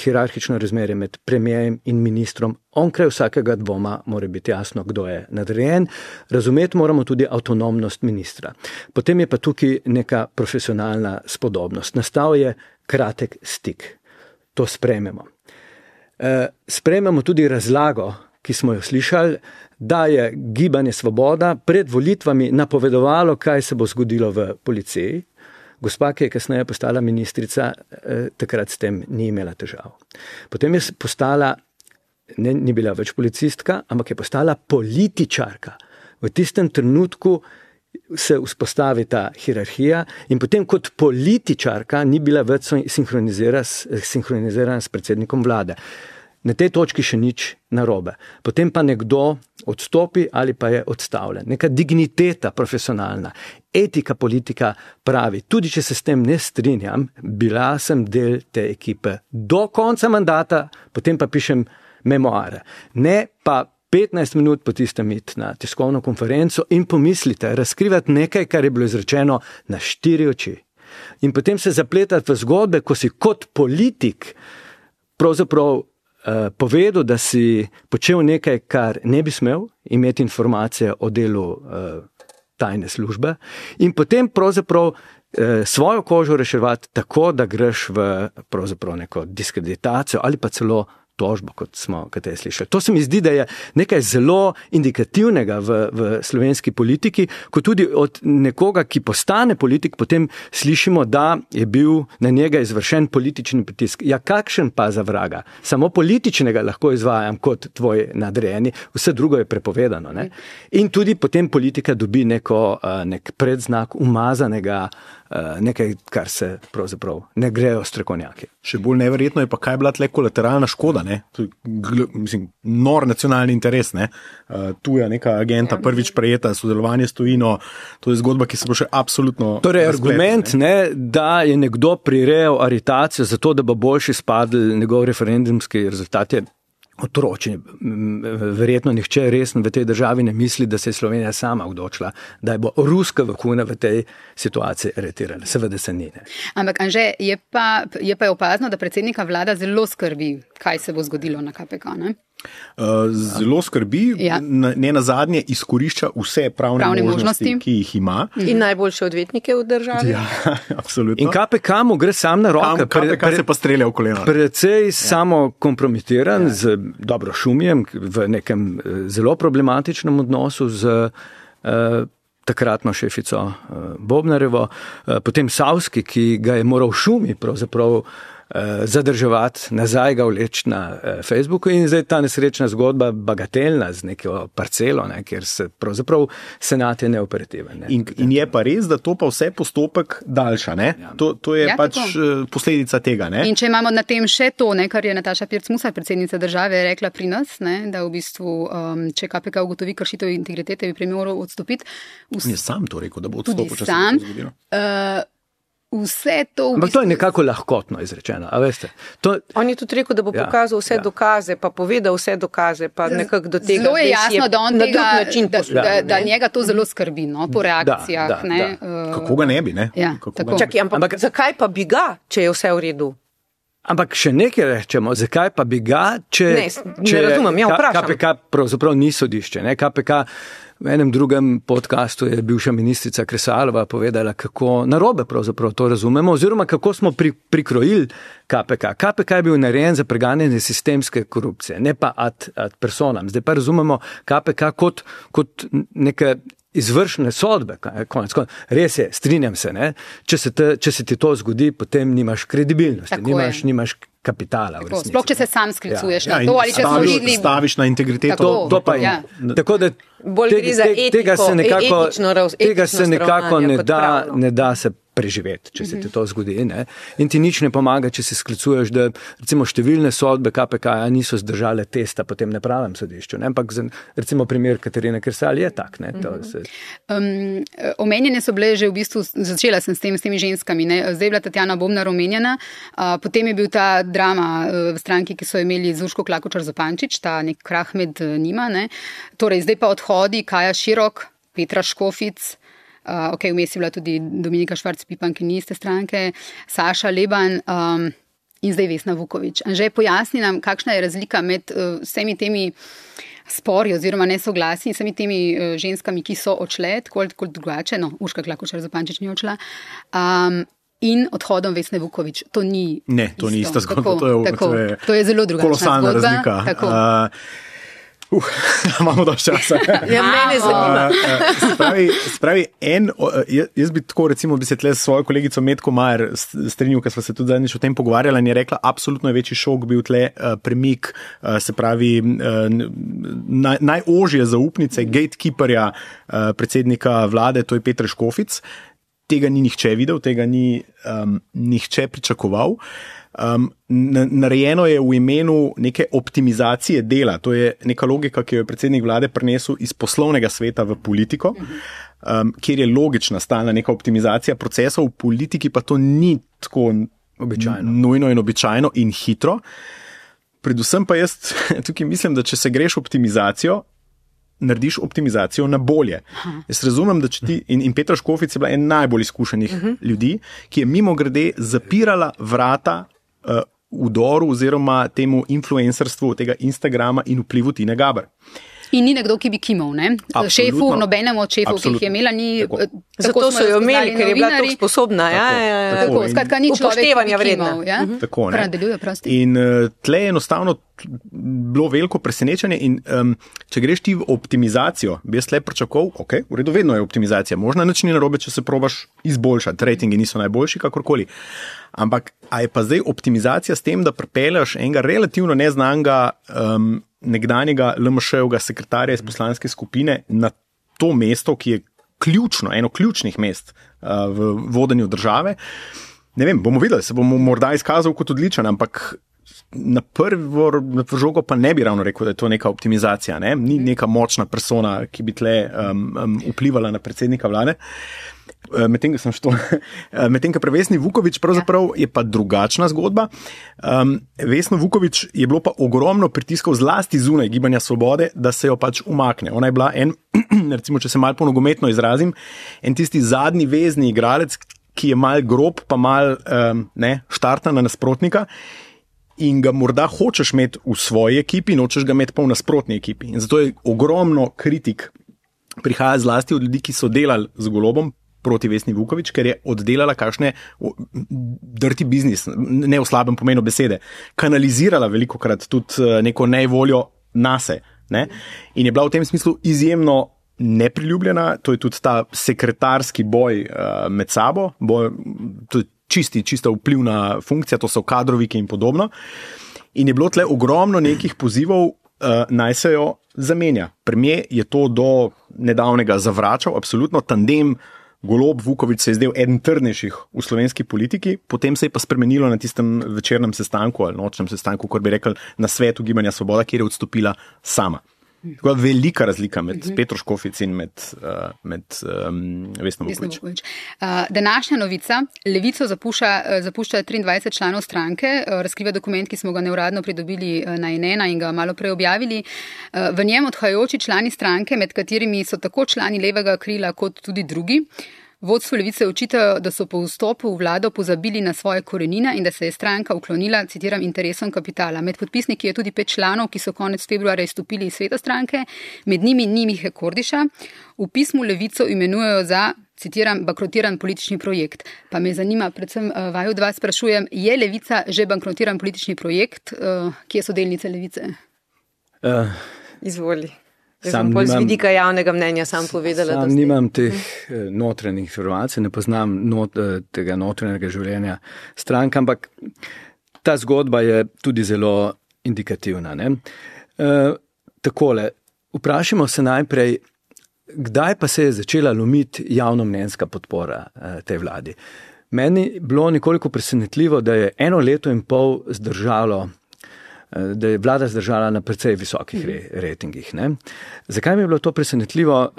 Speaker 5: hierarhično razmerje med premijerjem in ministrom. Onkraj vsakega dvoma mora biti jasno, kdo je nadrejen. Razumeti moramo tudi avtonomnost ministra. Potem je pa tukaj neka profesionalna spodobnost. Nastal je kratek stik. to sprejmemo. Sprejmemo tudi razlago, ki smo jo slišali, da je Gibanje Svoboda pred volitvami napovedovalo, kaj se bo zgodilo v policiji. Gospa, ki je kasneje postala ministrica, takrat s tem ni imela težav. Potem je postala, ni bila več policistka, ampak je postala političarka. V tistem trenutku se vzpostavi ta hierarhija in potem kot političarka ni bila več sinhronizirana s predsednikom vlade. Na tej točki še nič narobe. Potem pa nekdo odstopi ali pa je odstavljen. Neka digniteta profesionalna, etika politika pravi, tudi če se s tem ne strinjam, bila sem del te ekipe do konca mandata, potem pa pišem memoare. Ne pa 15 minut po tistem iti na tiskovno konferenco in pomislite, razkrivati nekaj, kar je bilo izrečeno na 4 oči. In potem se zapletati v zgodbe, ko si kot politik pravzaprav povedal, da si počel nekaj, kar ne bi smel, imeti informacije o delu tajne službe in potem pravzaprav svojo kožo reševati tako, da greš v pravzaprav neko diskreditacijo ali pa celo tožbo, kot smo kateri slišali. To se mi zdi, da je nekaj zelo indikativnega v slovenski politiki, ko tudi od nekoga, ki postane politik, potem slišimo, da je bil na njega izvršen politični pritisk. Ja, kakšen pa za vraga? Samo političnega lahko izvajam kot tvoj nadrejeni, vse drugo je prepovedano. Ne? In tudi potem politika dobi nek predznak umazanega, nekaj, kar se pravzaprav ne grejo strokovnjaki.
Speaker 3: Še bolj neverjetno je pa, kaj je bila tle kolateralna škoda, ne? To je, mislim, nor nacionalni interes, ne? Tuja neka agenta prvič prejeta, sodelovanje s tujino, to je zgodba, ki se bo še absolutno...
Speaker 5: Torej, argument, da je nekdo prirejal aretacijo zato, da bo boljši spadl njegov referendumski rezultat je otročje. Verjetno nihče resno v tej državi ne misli, da se je Slovenija sama odločila, da je bo ruska vohuna v tej situaciji aretirala. Seveda se ni. Ne.
Speaker 2: Ampak, Anže, je pa opazno, da predsednika vlada zelo skrbi, kaj se bo zgodilo na KPK, ne?
Speaker 3: Zelo skrbi, ne nazadnje izkorišča vse pravne možnosti, ki jih ima.
Speaker 4: In najboljše odvetnike v državi.
Speaker 3: Ja, absolutno.
Speaker 5: In KPK mu gre sam na roke.
Speaker 3: KPK se pa strelja v koleno.
Speaker 5: Precej samo kompromitiran z dobro Šumijem v nekem zelo problematičnem odnosu z takratno šefico Bobnarevo, potem Savski, ki ga je moral Šumi pravzaprav zadrževati, nazaj ga vleči na Facebooku in zdaj ta nesrečna zgodba bagatelna z neko parcelo, ne, kjer se pravzaprav senat je neoperativen. Ne.
Speaker 3: In je pa res, da to pa vse postopek daljša. Ne? Ja. To je pač posledica tega. Ne?
Speaker 2: In če imamo na tem še to, ne, kar je Nataša Pirc-Musar, predsednica države, rekla pri nas, ne, da v bistvu, če KPK ugotovi kršitev integritete, bi moral odstopiti.
Speaker 3: Je sam to rekel, da bo odstopil, če se to zgodilo.
Speaker 2: Vse to
Speaker 5: ampak to je nekako lahkotno izrečeno, a veste.
Speaker 4: On je tudi rekel, da bo pokazal vse dokaze, pa povedal vse dokaze, pa nekako do tega.
Speaker 2: Zelo je jasno, da on tega, da njega to zelo skrbi, no, po reakcijah.
Speaker 3: Kako ga ne bi, ne?
Speaker 2: Ja,
Speaker 4: čakaj, ampak zakaj pa bi ga, če je vse v redu?
Speaker 5: Ampak še nekaj rečemo, zakaj pa bi ga, če
Speaker 4: razumem, vprašam.
Speaker 5: KPK pravzaprav ni sodišče, ne? KPK v enem drugem podcastu je bivša ministrica Kresalova povedala, kako narobe pravzaprav to razumemo, oziroma kako smo prikrojili KPK. KPK je bil narejen za preganjanje sistemske korupcije, ne pa ad personam. Zdaj pa razumemo KPK kot neke izvršne sodbe. Res je, strinjam se, ne? Če se ti to zgodi, potem nimaš kredibilnosti, nimaš kapitala.
Speaker 2: Sploh, če se sam sklicuješ na to, ali če smo videli...
Speaker 3: Staviš na integriteto.
Speaker 5: To pa je. Tako da tega se nekako ne da se preživeti, če se ti to zgodi. Ne? In ti nič ne pomaga, če se sklicuješ, da recimo številne sodbe KPK niso zdržale testa po tem nepravem sodišču. Ne? Ampak recimo primer Katarine Kresal je tak. Ne?
Speaker 2: Omenjene so bile že v bistvu, začela sem s temi ženskami, ne? Zdaj je bila Tatjana Bobnar omenjena, potem je bil ta drama v stranki, ki so imeli z Urško Klakočar Zupančič, ta nek krah med njima. Ne? Torej, zdaj pa odhodi Kaja Širok, Petra Škofic, vmes je bila tudi Dominika Švarc-Pipan, ki ni iste stranke, Saša Leban in zdaj Vesna Vuković. Anže, pojasni nam, kakšna je razlika med vsemi temi spori oziroma nesoglasji in vsemi temi ženskami, ki so odšle, tako drugače, Urška Klakočar Zupančič ni odšla, in odhodom Vesne Vuković. To ni
Speaker 3: ista zgodba.
Speaker 2: To je zelo drugačna
Speaker 3: kolosalna
Speaker 2: zgodba.
Speaker 3: razlika. Imamo dosti časa.
Speaker 4: Mene zanima.
Speaker 3: Spravi, jaz bi tako recimo bi se tle s svojo kolegico Metko Majer strinjal, ker sva se tudi zadnjič o tem pogovarjala in je rekla, absolutno je večji šok bil tle premik, se pravi najožje zaupnice, gatekeeperja predsednika vlade, to je Peter Škofic. Tega ni nihče videl, tega ni nihče pričakoval. Narejeno je v imenu neke optimizacije dela. To je neka logika, ki jo je predsednik vlade prinesel iz poslovnega sveta v politiko, kjer je logična stalna neka optimizacija procesov, v politiki pa to ni tako nujno in običajno in hitro. Predvsem pa jaz tukaj mislim, da če se greš optimizacijo, narediš optimizacijo na bolje. Jaz razumem, da če ti, in Petra Škofic je bila en najbolj izkušenih ljudi, ki je mimogrede zapirala vrata vdoru oziroma temu influencerstvu tega Instagrama in vplivu Tine Gaber.
Speaker 2: In ni nekdo, ki bi kimal, ne? Šefu, nobenemu od šefov, ki jih je imela, ni...
Speaker 4: Zato so jo imeli, ker je bila tako sposobna.
Speaker 2: Tako, skratka, ni človek,
Speaker 4: upoštevanja
Speaker 2: ki bi kimal.
Speaker 3: Tako, ne?
Speaker 2: Predeluje, prosti.
Speaker 3: In tle je enostavno bilo veliko presenečenje in če greš ti v optimizacijo, bi jaz tle pričakoval, ok, v redu, vedno je optimizacija, možno nič ni narobe, če se probaš izboljšati, rejtingi niso najboljši, kakorkoli. Ampak, a je pa zdaj optimizacija s tem, da pripeljaš enega relativno neznanega nekdanjega LMŠ-ovega sekretarja iz poslanske skupine na to mesto, ki je ključno, eno ključnih mest v vodenju države. Ne vem, bomo videli, se bomo morda izkazal kot odličen, ampak na prvo žogo pa ne bi ravno rekel, da je to neka optimizacija, ne? Ni neka močna persona, ki bi tle vplivala na predsednika vlade. Medtem ko pri Vesni Vuković pravzaprav je pa drugačna zgodba. Vesno Vuković je bilo pa ogromno pritiskov zlasti zunaj Gibanja Svobode, da se jo pač umakne. Ona je bila recimo, če se malo po nogometno izrazim, en tisti zadnji vezni igralec, ki je mal grob, pa mal štarta na nasprotnika in ga morda hočeš imeti v svoji ekipi, nočeš ga imeti pa v nasprotni ekipi. In zato je ogromno kritik prihaja zlasti od ljudi, ki so delali z Golobom proti Vesni Vuković, ker je oddelala kakšne dirty business, ne v slabem pomenu besede, kanalizirala velikokrat tudi neko nevoljo nase. Ne? In je bila v tem smislu izjemno nepriljubljena, to je tudi ta sekretarski boj med sabo, to je čista vplivna funkcija, to so kadroviki in podobno. In je bilo tle ogromno nekih pozivov, naj se jo zamenja. Premier je to do nedavnega zavračal, absolutno tandem Golob Vuković se je zdel eden trdnejših v slovenski politiki, potem se je pa spremenilo na tistem večernem sestanku ali nočnem sestanku, kot bi rekel, na svetu Gibanja Svoboda, kjer je odstopila sama. Tako velika razlika med Petro Škofic in med Vesno Vuković.
Speaker 2: Današnja novica, Levico zapušča 23 članov stranke, razkriva dokument, ki smo ga neuradno pridobili na N1 in ga malo prej objavili. V njem odhajajoči člani stranke, med katerimi so tako člani levega krila kot tudi drugi. Vodstvo Levice očitajo, da so po vstopu v vlado pozabili na svoje korenine in da se je stranka uklonila, citiram, interesom kapitala. Med podpisniki je tudi 5 članov, ki so konec februarja izstopili iz sveta stranke, med njimi ni Mihe Kordiša. V pismu Levico imenujejo za, citiram, bankrotiran politični projekt. Pa me zanima, predvsem vaju dva sprašujem, je Levica že bankrotiran politični projekt? Kje so delnice Levice?
Speaker 4: Izvoli. Sam z vidika javnega mnenja sam povedala.
Speaker 5: Sam nimam teh notranjih informacij, ne poznam tega notranjega življenja strank, ampak ta zgodba je tudi zelo indikativna. Ne? Takole, vprašamo se najprej, kdaj pa se je začela lomiti javnomnenjska podpora tej vladi. Meni je bilo nekoliko presenetljivo, da je 1 leto in pol zdržalo, da je vlada zdržala na precej visokih rejtingih. Zakaj mi je bilo to presenetljivo?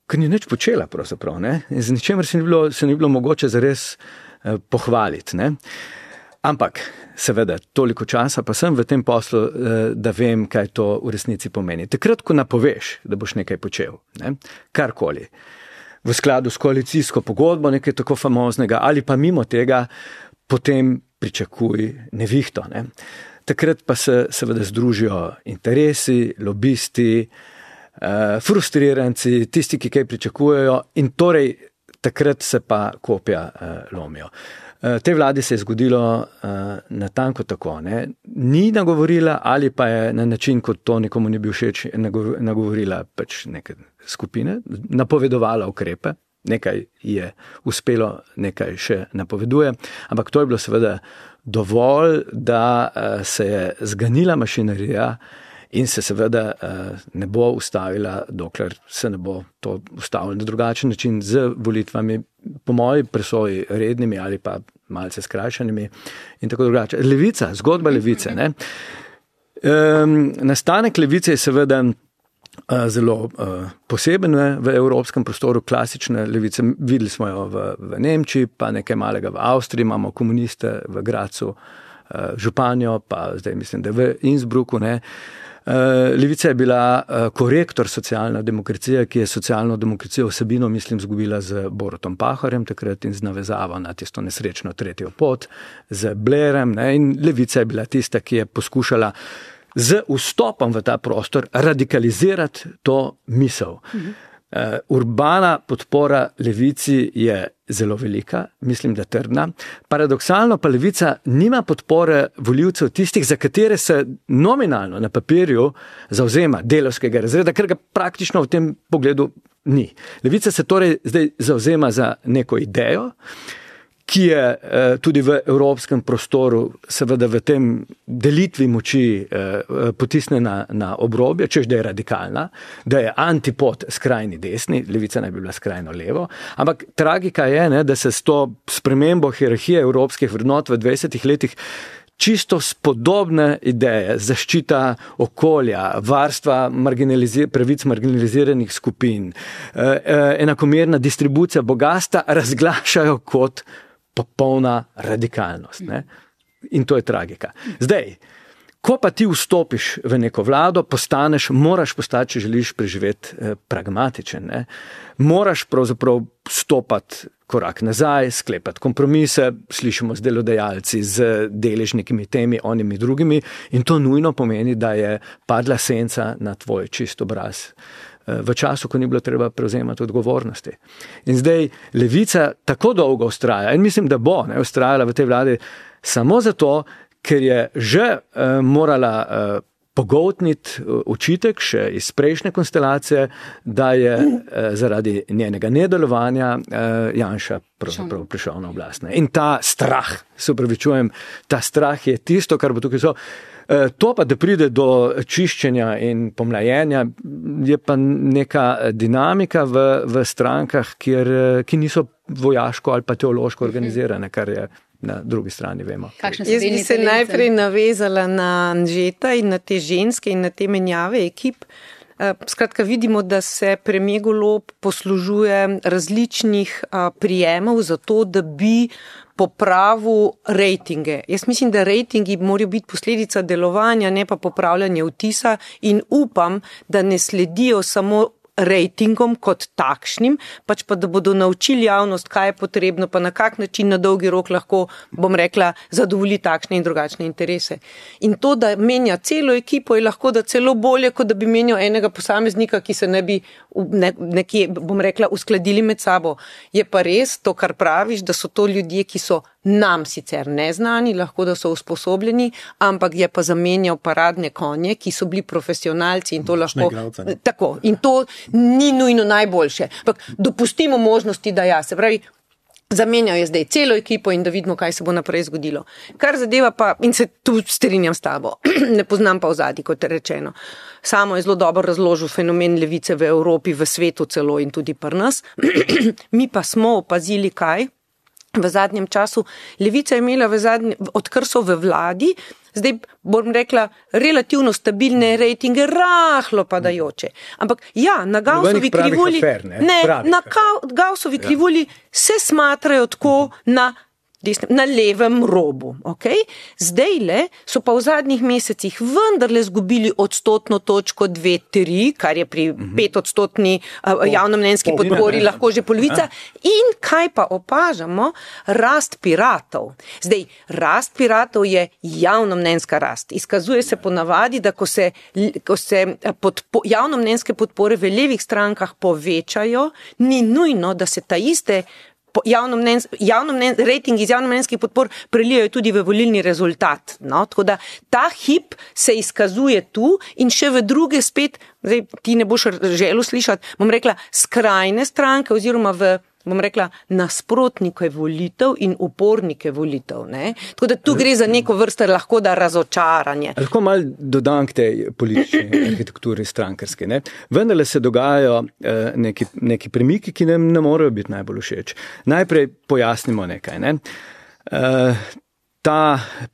Speaker 5: Ker ni nič počela pravzaprav. Ne? Z ničemer se ni bilo mogoče zares pohvaliti. Ne? Ampak, seveda, toliko časa pa sem v tem poslu, da vem, kaj to v resnici pomeni. Takrat, ko napoveš, da boš nekaj počel, ne? Karkoli, v skladu s koalicijsko pogodbo, nekaj tako famoznega, ali pa mimo tega, potem pričakuj nevihto. Ne? Takrat pa se seveda združijo interesi, lobisti, frustriranci, tisti, ki kaj pričakujejo in torej takrat se pa kopja lomijo. Tej vladi se je zgodilo natanko tako, ne? Ni nagovorila ali pa je na način, kot to nekomu ni bil všeč, nagovorila pač neke skupine, napovedovala ukrepe, nekaj je uspelo, nekaj še napoveduje, ampak to je bilo seveda dovolj, da se je zganila mašinerija in se seveda ne bo ustavila, dokler se ne bo to ustavilo na drugačen način z volitvami, po moji presoji rednimi ali pa malce skrajšanimi in tako drugače. Levica, zgodba levice. Ne? Nastanek levice je seveda zelo poseben v evropskem prostoru, klasične levice. Videli smo jo v Nemčiji, pa nekaj malega v Avstriji, imamo komuniste v Gracu, županjo, pa zdaj mislim, da v Innsbrucku. Ne? Levica je bila korektor socialne demokracije, ki je socialno demokracijo vsebino, mislim, zgubila z Borutom Pahorjem takrat in z navezavo na tisto nesrečno tretjo pot, z Blairem. Ne? In levica je bila tista, ki je poskušala z vstopom v ta prostor radikalizirati to misel. Urbana podpora levici je zelo velika, mislim, da trdna. Paradoksalno pa levica nima podpore volivcev tistih, za katere se nominalno na papirju zauzema delavskega razreda, ker ga praktično v tem pogledu ni. Levica se torej zdaj zauzema za neko idejo, ki je tudi v evropskem prostoru, seveda v tem delitvi moči potisnjena na obrobje, češ da je radikalna, da je antipod skrajni desni, levica naj bi bila skrajno levo, ampak tragika je, ne, da se s to spremembo hierarhije evropskih vrednot v 20 letih čisto spodobne ideje, zaščita okolja, varstva pravic marginaliziranih skupin, enakomerna distribucija bogastva razglašajo kot popolna radikalnost. Ne? In to je tragika. Zdaj, ko pa ti vstopiš v neko vlado, moraš postati, če želiš preživeti pragmatičen. Ne? Moraš pravzaprav stopati korak nazaj, sklepati kompromise, slišimo z delodajalci, z deležnikimi temi, onimi drugimi, in to nujno pomeni, da je padla senca na tvoj čist obraz v času, ko ni bilo treba prevzemati odgovornosti. In zdaj levica tako dolgo vztraja, in mislim, da bo vztrajala v tej vladi samo zato, ker je že morala pogoltniti očitek še iz prejšnje konstelacije, da je zaradi njenega nedelovanja Janša pravzaprav prišel na oblast. In ta strah, se upravičujem, ta strah je tisto, kar bo tukaj so. To pa, da pride do čiščenja in pomlajenja, je pa neka dinamika v strankah, ki niso vojaško ali pa teološko organizirane, kar je na drugi strani vemo.
Speaker 4: Jaz bi se najprej navezala na Anžeta in na te ženske in na te menjave ekip. Skratka, vidimo, da se premier Golob poslužuje različnih prijemov za to, da bi popravil rejtinge. Jaz mislim, da rejtingi morajo biti posledica delovanja, ne pa popravljanje vtisa, in upam, da ne sledijo samo rejtingom kot takšnim, pač pa da bodo naučili javnost, kaj je potrebno, pa na kak način na dolgi rok lahko, bom rekla, zadovolji takšne in drugačne interese. In to, da menja celo ekipo, je lahko da celo bolje, kot da bi menjal enega posameznika, ki se ne bi nekje, bom rekla, uskladili med sabo. Je pa res to, kar praviš, da so to ljudje, ki so nam sicer neznani, lahko da so usposobljeni, ampak je pa zamenjal paradne konje, ki so bili profesionalci in to lahko... Tako, in to ni nujno najboljše. Ampak dopustimo možnosti, da ja, se pravi, zamenjal je zdaj celo ekipo in da vidimo, kaj se bo naprej zgodilo. Kar zadeva pa, in se tu strinjam s tabo, ne poznam pa ozadij, kot je rečeno. Samo je zelo dobro razložil fenomen levice v Evropi, v svetu celo in tudi pri nas. Mi pa smo opazili kaj? V zadnjem času. Levica je imela odkar so v vladi, zdaj bom rekla, relativno stabilne rejtinge, rahlo padajoče. Ampak ja, na Gaussovi krivulji, na Gaussovi krivulji se smatrajo tako na na levem robu. Okay? Zdajle so pa v zadnjih mesecih vendarle zgubili odstotno točko 2-3, kar je pri 5% javnomnenjski podpori lahko že polovica. In kaj pa opažamo? Rast piratov. Zdaj, rast piratov je javnomnenjska rast. Izkazuje se ponavadi, da ko se javnomnenjske podpore v levih strankah povečajo, ni nujno, da se ta iste rating iz javnomnenjskih podpor prelijajo tudi v volilni rezultat. No? Tako da ta hip se izkazuje tu in še v druge spet, zdaj ti ne boš želel slišati, bom rekla, skrajne stranke oziroma nasprotnike volitev in upornike volitev. Ne? Tako da tu gre za neko vrsto lahko da razočaranje.
Speaker 5: Lahko malo dodam k tej politični arhitekturi strankarske. Ne? Vendarle se dogajajo neki premiki, ki nam ne morejo biti najbolj všeč. Najprej pojasnimo nekaj. Ne? Ta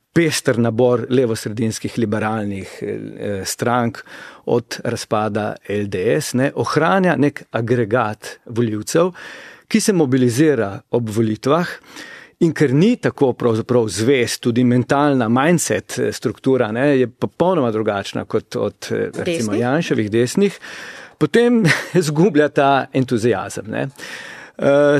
Speaker 5: pester nabor levosredinskih liberalnih strank od razpada LDS ohranja nek agregat volivcev, ki se mobilizira ob volitvah in ker ni tako pravzaprav zvest, tudi mentalna mindset struktura je popolnoma drugačna kot od recimo Janševih desnih, potem zgublja ta entuziazem.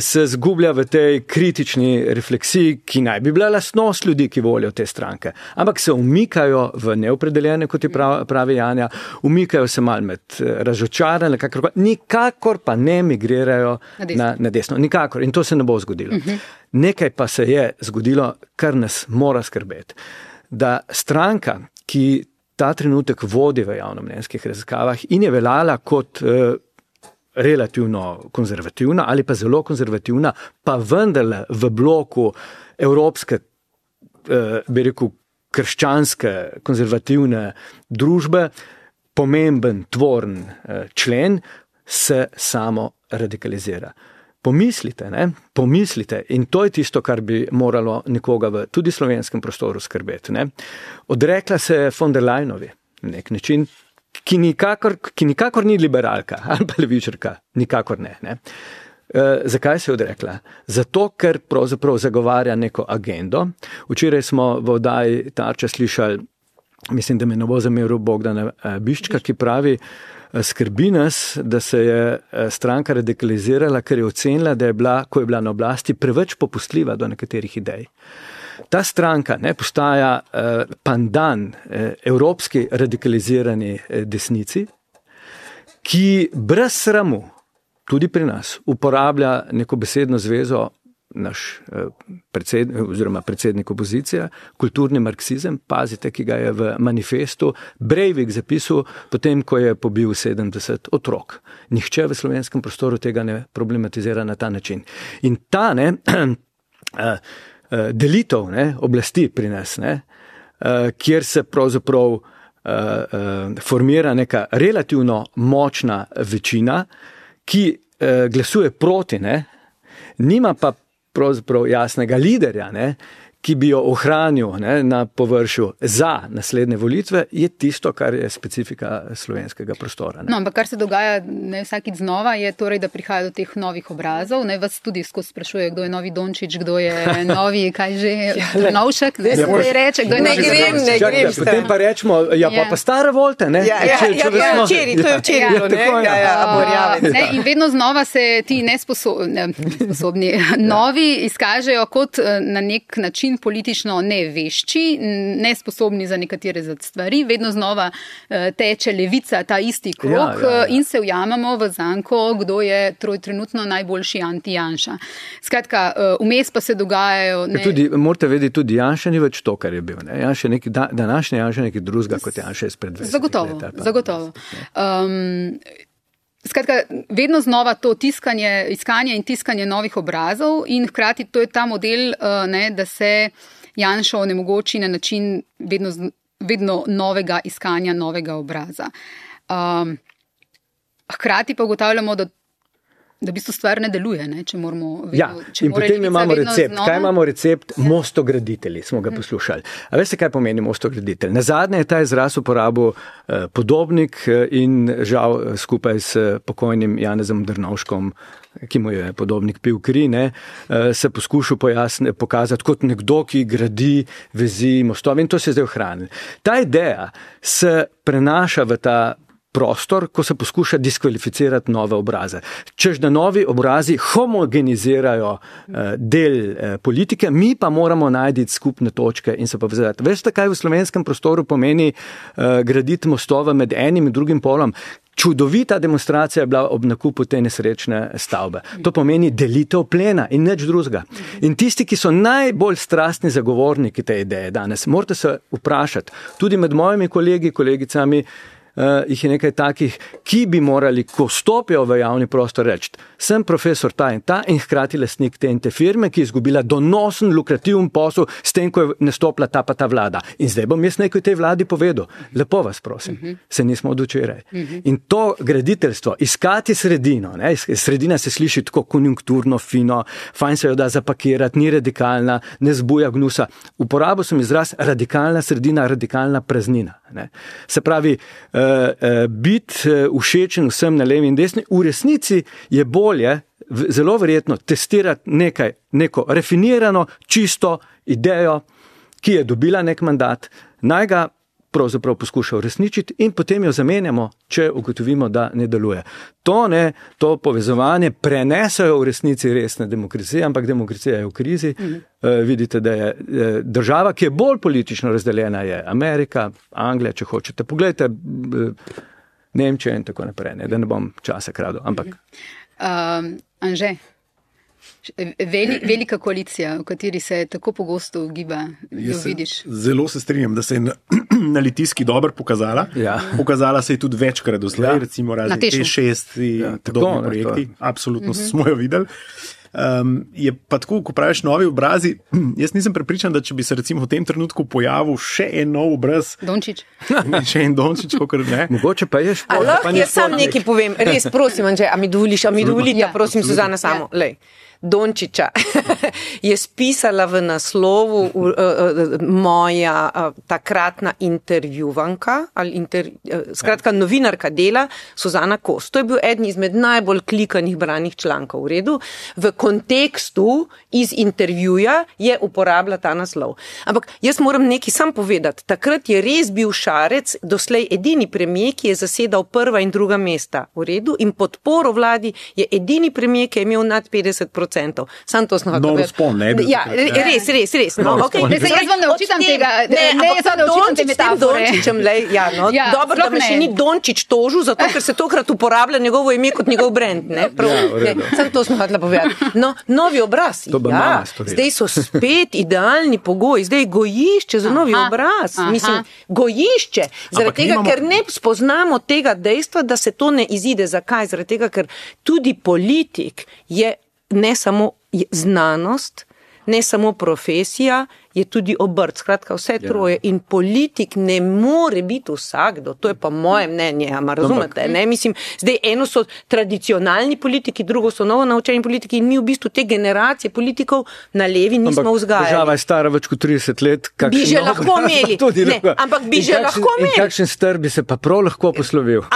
Speaker 5: Se zgublja v tej kritični refleksiji, ki naj bi bila lastnost ljudi, ki volijo te stranke. Ampak se umikajo v neopredeljene, kot je pravi Janja, umikajo se malo med razočarane, nikakor pa ne migrirajo na desno. Nikakor. In to se ne bo zgodilo. Nekaj pa se je zgodilo, kar nas mora skrbeti. Da stranka, ki ta trenutek vodi v javnomnenjskih raziskavah in je veljala kot relativno konzervativna ali pa zelo konzervativna, pa vendarle v bloku evropske, bi rekel, krščanske konzervativne družbe, pomemben, tvoren člen, se samo radikalizira. Pomislite, Pomislite, in to je tisto, kar bi moralo nekoga v tudi slovenskem prostoru skrbeti. Odrekla se von der Leyenovi na nek način, ki nikakor ni liberalka ali pa levičarka, nikakor ne. Zakaj se je odrekla? Zato, ker pravzaprav zagovarja neko agendo. Včeraj smo v oddaji Tarča slišali, mislim, da me ne bo zameril Bogdana Biščka, ki pravi, skrbi nas, da se je stranka radikalizirala, ker je ocenila, da je bila, ko je bila na oblasti, preveč popustljiva do nekaterih idej. Ta stranka postaja pandan evropski radikalizirani desnici, ki brez sramu, tudi pri nas, uporablja neko besedno zvezo, naš predsednik opozicije, kulturni marksizem, pazite, ki ga je v manifestu Breivik zapisal potem, ko je pobil 70 otrok. Nihče v slovenskem prostoru tega ne problematizira na ta način. In ta delitev oblasti pri nas, kjer se pravzaprav formira neka relativno močna večina, ki glasuje proti, nima pa pravzaprav jasnega liderja, ki bi jo ohranil na površju za naslednje volitve, je tisto, kar je specifika slovenskega prostora.
Speaker 2: No, ampak kar se dogaja vsakič znova, je torej, da prihaja do teh novih obrazov. Vas tudi skozi sprašuje, kdo je novi Dončić, kdo je novi, kaj že, Trnovšek, kdo je reče, kdo je
Speaker 4: ne grem.
Speaker 5: Potem pa rečemo, pa stare volte,
Speaker 4: to je včeraj,
Speaker 2: in vedno znova se ti nesposobni novi izkažejo kot na nek način politično nevešči, nesposobni za nekatere stvari, vedno znova teče levica ta isti krog in se ujamemo v zanko, kdo je trenutno najboljši anti-Janša. Skratka, vmes pa se dogajajo...
Speaker 5: Tudi, morate vedeti, tudi Janša ni več to, kar je bil. Današnji Janša je nekaj drugega, kot Janša izpred 20 let.
Speaker 2: Zagotovo. Skratka, vedno znova to iskanje in tiskanje novih obrazov in hkrati to je ta model, da se Janšo onemogoči na način vedno novega iskanja novega obraza. Hkrati pa ugotavljamo, da Da v bistvu stvar ne deluje, ne? Če moramo vedno,
Speaker 5: Ja,
Speaker 2: če
Speaker 5: in
Speaker 2: mora
Speaker 5: potem
Speaker 2: levica
Speaker 5: imamo
Speaker 2: vedno
Speaker 5: recept.
Speaker 2: znova.
Speaker 5: Kaj imamo recept? Mostograditelji, smo ga poslušali. A veste, kaj pomeni mostograditelj? Nazadnje je ta izraz uporabil Podobnik in žal skupaj s pokojnim Janezom Drnovškom, ki mu je Podobnik pil kri, se poskušal pokazati kot nekdo, ki gradi vezi, mostove in to se je zdaj ohranilo. Ta ideja se prenaša v ta prostor, ko se poskuša diskvalificirati nove obraze. Čež da novi obrazi homogenizirajo del politike, mi pa moramo najti skupne točke in se povezati. Veste, kaj v slovenskem prostoru pomeni graditi mostove med enim in drugim polom? Čudovita demonstracija je bila ob nakupu te nesrečne stavbe. To pomeni delitev plena in nič drugega. In tisti, ki so najbolj strastni zagovorniki te ideje danes, morate se vprašati, tudi med mojimi kolegi, kolegicami, jih je nekaj takih, ki bi morali, ko stopijo v javni prostor, reči, sem profesor ta in hkrati lastnik te in te firme, ki je izgubila donosen, lukrativen posel s tem, ko je nastopila ta pa ta vlada. In zdaj bom jaz nekaj tej vladi povedal. Lepo vas prosim, se nismo od včeraj. In to graditeljstvo, iskati sredino, sredina se sliši tako konjunkturno, fino, fajn se jo da zapakirati, ni radikalna, ne zbuja gnusa. Uporabil sem izraz radikalna sredina, radikalna praznina. Se pravi, biti všečen vsem na levi in desni, v resnici je bolje, zelo verjetno, testirati neko rafinirano, čisto idejo, ki je dobila nek mandat, naj ga pravzaprav poskuša uresničiti in potem jo zamenjamo, če ugotovimo, da ne deluje. To povezovanje prenesajo v resnici resne demokracije, ampak demokracija je v krizi. Vidite, da je država, ki je bolj politično razdeljena, je Amerika, Anglija, če hočete. Poglejte, Nemčija in tako naprej, da ne bom časa kradel, ampak...
Speaker 2: Anže, velika koalicija, v kateri se tako pogosto ugiba, jo vidiš.
Speaker 3: Zelo se strinjam, da se je na Litijski dobro pokazala.
Speaker 5: Ja.
Speaker 3: Pokazala se je tudi večkrat doslej, recimo razni T6 in podobni projekti. Absolutno smo jo videli. Je pa tako, ko praviš novi obrazi, jaz nisem prepričan, da če bi se recimo v tem trenutku pojavil še en nov obraz.
Speaker 2: Dončić.
Speaker 3: Še en Dončić, kakor ne.
Speaker 5: Mogoče pa je šport.
Speaker 4: Lahko jaz sam nekaj povem, res prosim, Anže, a mi dovolite, prosim, Suzana, samo, lej. Dončića je spisala v naslovu moja takratna intervjuvanka, skratka novinarka Dela, Suzana Kos. To je bil eden izmed najbolj klikanih branih člankov v redu. V kontekstu iz intervjuja je uporabila ta naslov. Ampak jaz moram nekaj sam povedati. Takrat je res bil Šarec doslej edini premijer, ki je zasedal prva in druga mesta v redu in podporo vladi je edini premijer, ki je imel nad 50%. Sam to smo
Speaker 3: Nov spon, ne?
Speaker 4: Ja, res. No, okay.
Speaker 2: Jaz vam ne očitam tega,
Speaker 4: jaz vam ne očitam te metafore. Dobro, da me še ni Dončić tožil, zato ker se tokrat uporablja njegovo ime kot njegov brand. Sam to smo hotela povedati. No, novi obraz. Zdaj so spet idealni pogoji, zdaj gojišče za novi obraz. Mislim, gojišče. Zaradi tega, ker ne spoznamo tega dejstva, da se to ne izide. Zakaj? Zaradi tega, ker tudi politik je ne samo znanost, ne samo profesija, je tudi obrt. Skratka, vse troje. In politik ne more biti vsakdo. To je pa moje mnenje, razumete? Ne? Mislim, zdaj eno so tradicionalni politiki, drugo so novo naučeni politiki in mi v bistvu te generacije politikov na levi nismo vzgajali.
Speaker 5: Država je stara več kot 30 let.
Speaker 4: Bi že lahko imeli. Ampak bi že lahko imeli.
Speaker 5: In kakšen str bi se pa prav lahko poslovil.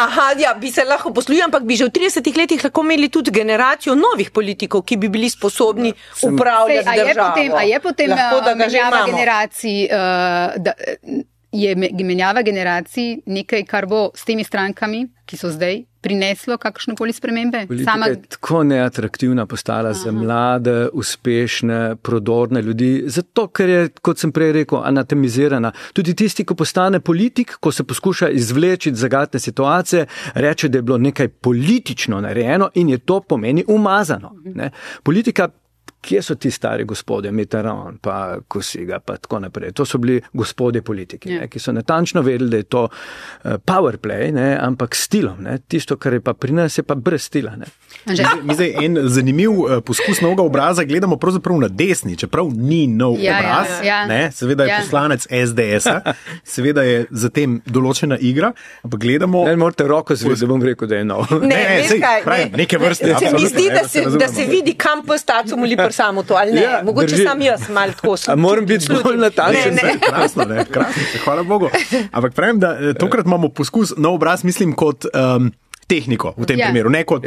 Speaker 4: Bi se lahko poslovil, ampak bi že v 30 letih lahko imeli tudi generacijo novih politikov, ki bi bili sposobni upravljati državo.
Speaker 2: A je potem generacij, je menjava generacij nekaj, kar bo s temi strankami, ki so zdaj, prineslo kakšnokoli spremembe?
Speaker 5: Politika je tako neatraktivna postala za mlade, uspešne, prodorne ljudi, zato ker je, kot sem prej rekel, anatemizirana. Tudi tisti, ko postane politik, ko se poskuša izvleči iz zagatne situacije, reče, da je bilo nekaj politično narejeno in je to pomeni umazano. Ne? Politika, Kje so ti stari gospodje, Mitterrand, pa Kosiga, pa tako naprej. To so bili gospodje politiki, ki so natančno vedeli, da je to power play, ampak s stilom. Tisto, kar je pa pri nas, je pa brez stila.
Speaker 3: Mi zdaj en zanimiv poskus novega obraza gledamo pravzaprav na desni, čeprav ni nov obraz. Seveda je poslanec SDS-a, seveda je zatem določena igra, ampak gledamo...
Speaker 5: Ne morate roko zviti, da bom rekel, da je nov.
Speaker 3: Neke vrste.
Speaker 4: Se mi zdi, da se vidi, kam postacu moli samo to, ali ne? Ja, mogoče sam jaz malo tako sem.
Speaker 5: Moram biti bolj natančen.
Speaker 3: Krasno, hvala Bogu. Ampak pravim, da tokrat imamo poskus nov obraz, mislim, kot tehniko v tem primeru, ne kot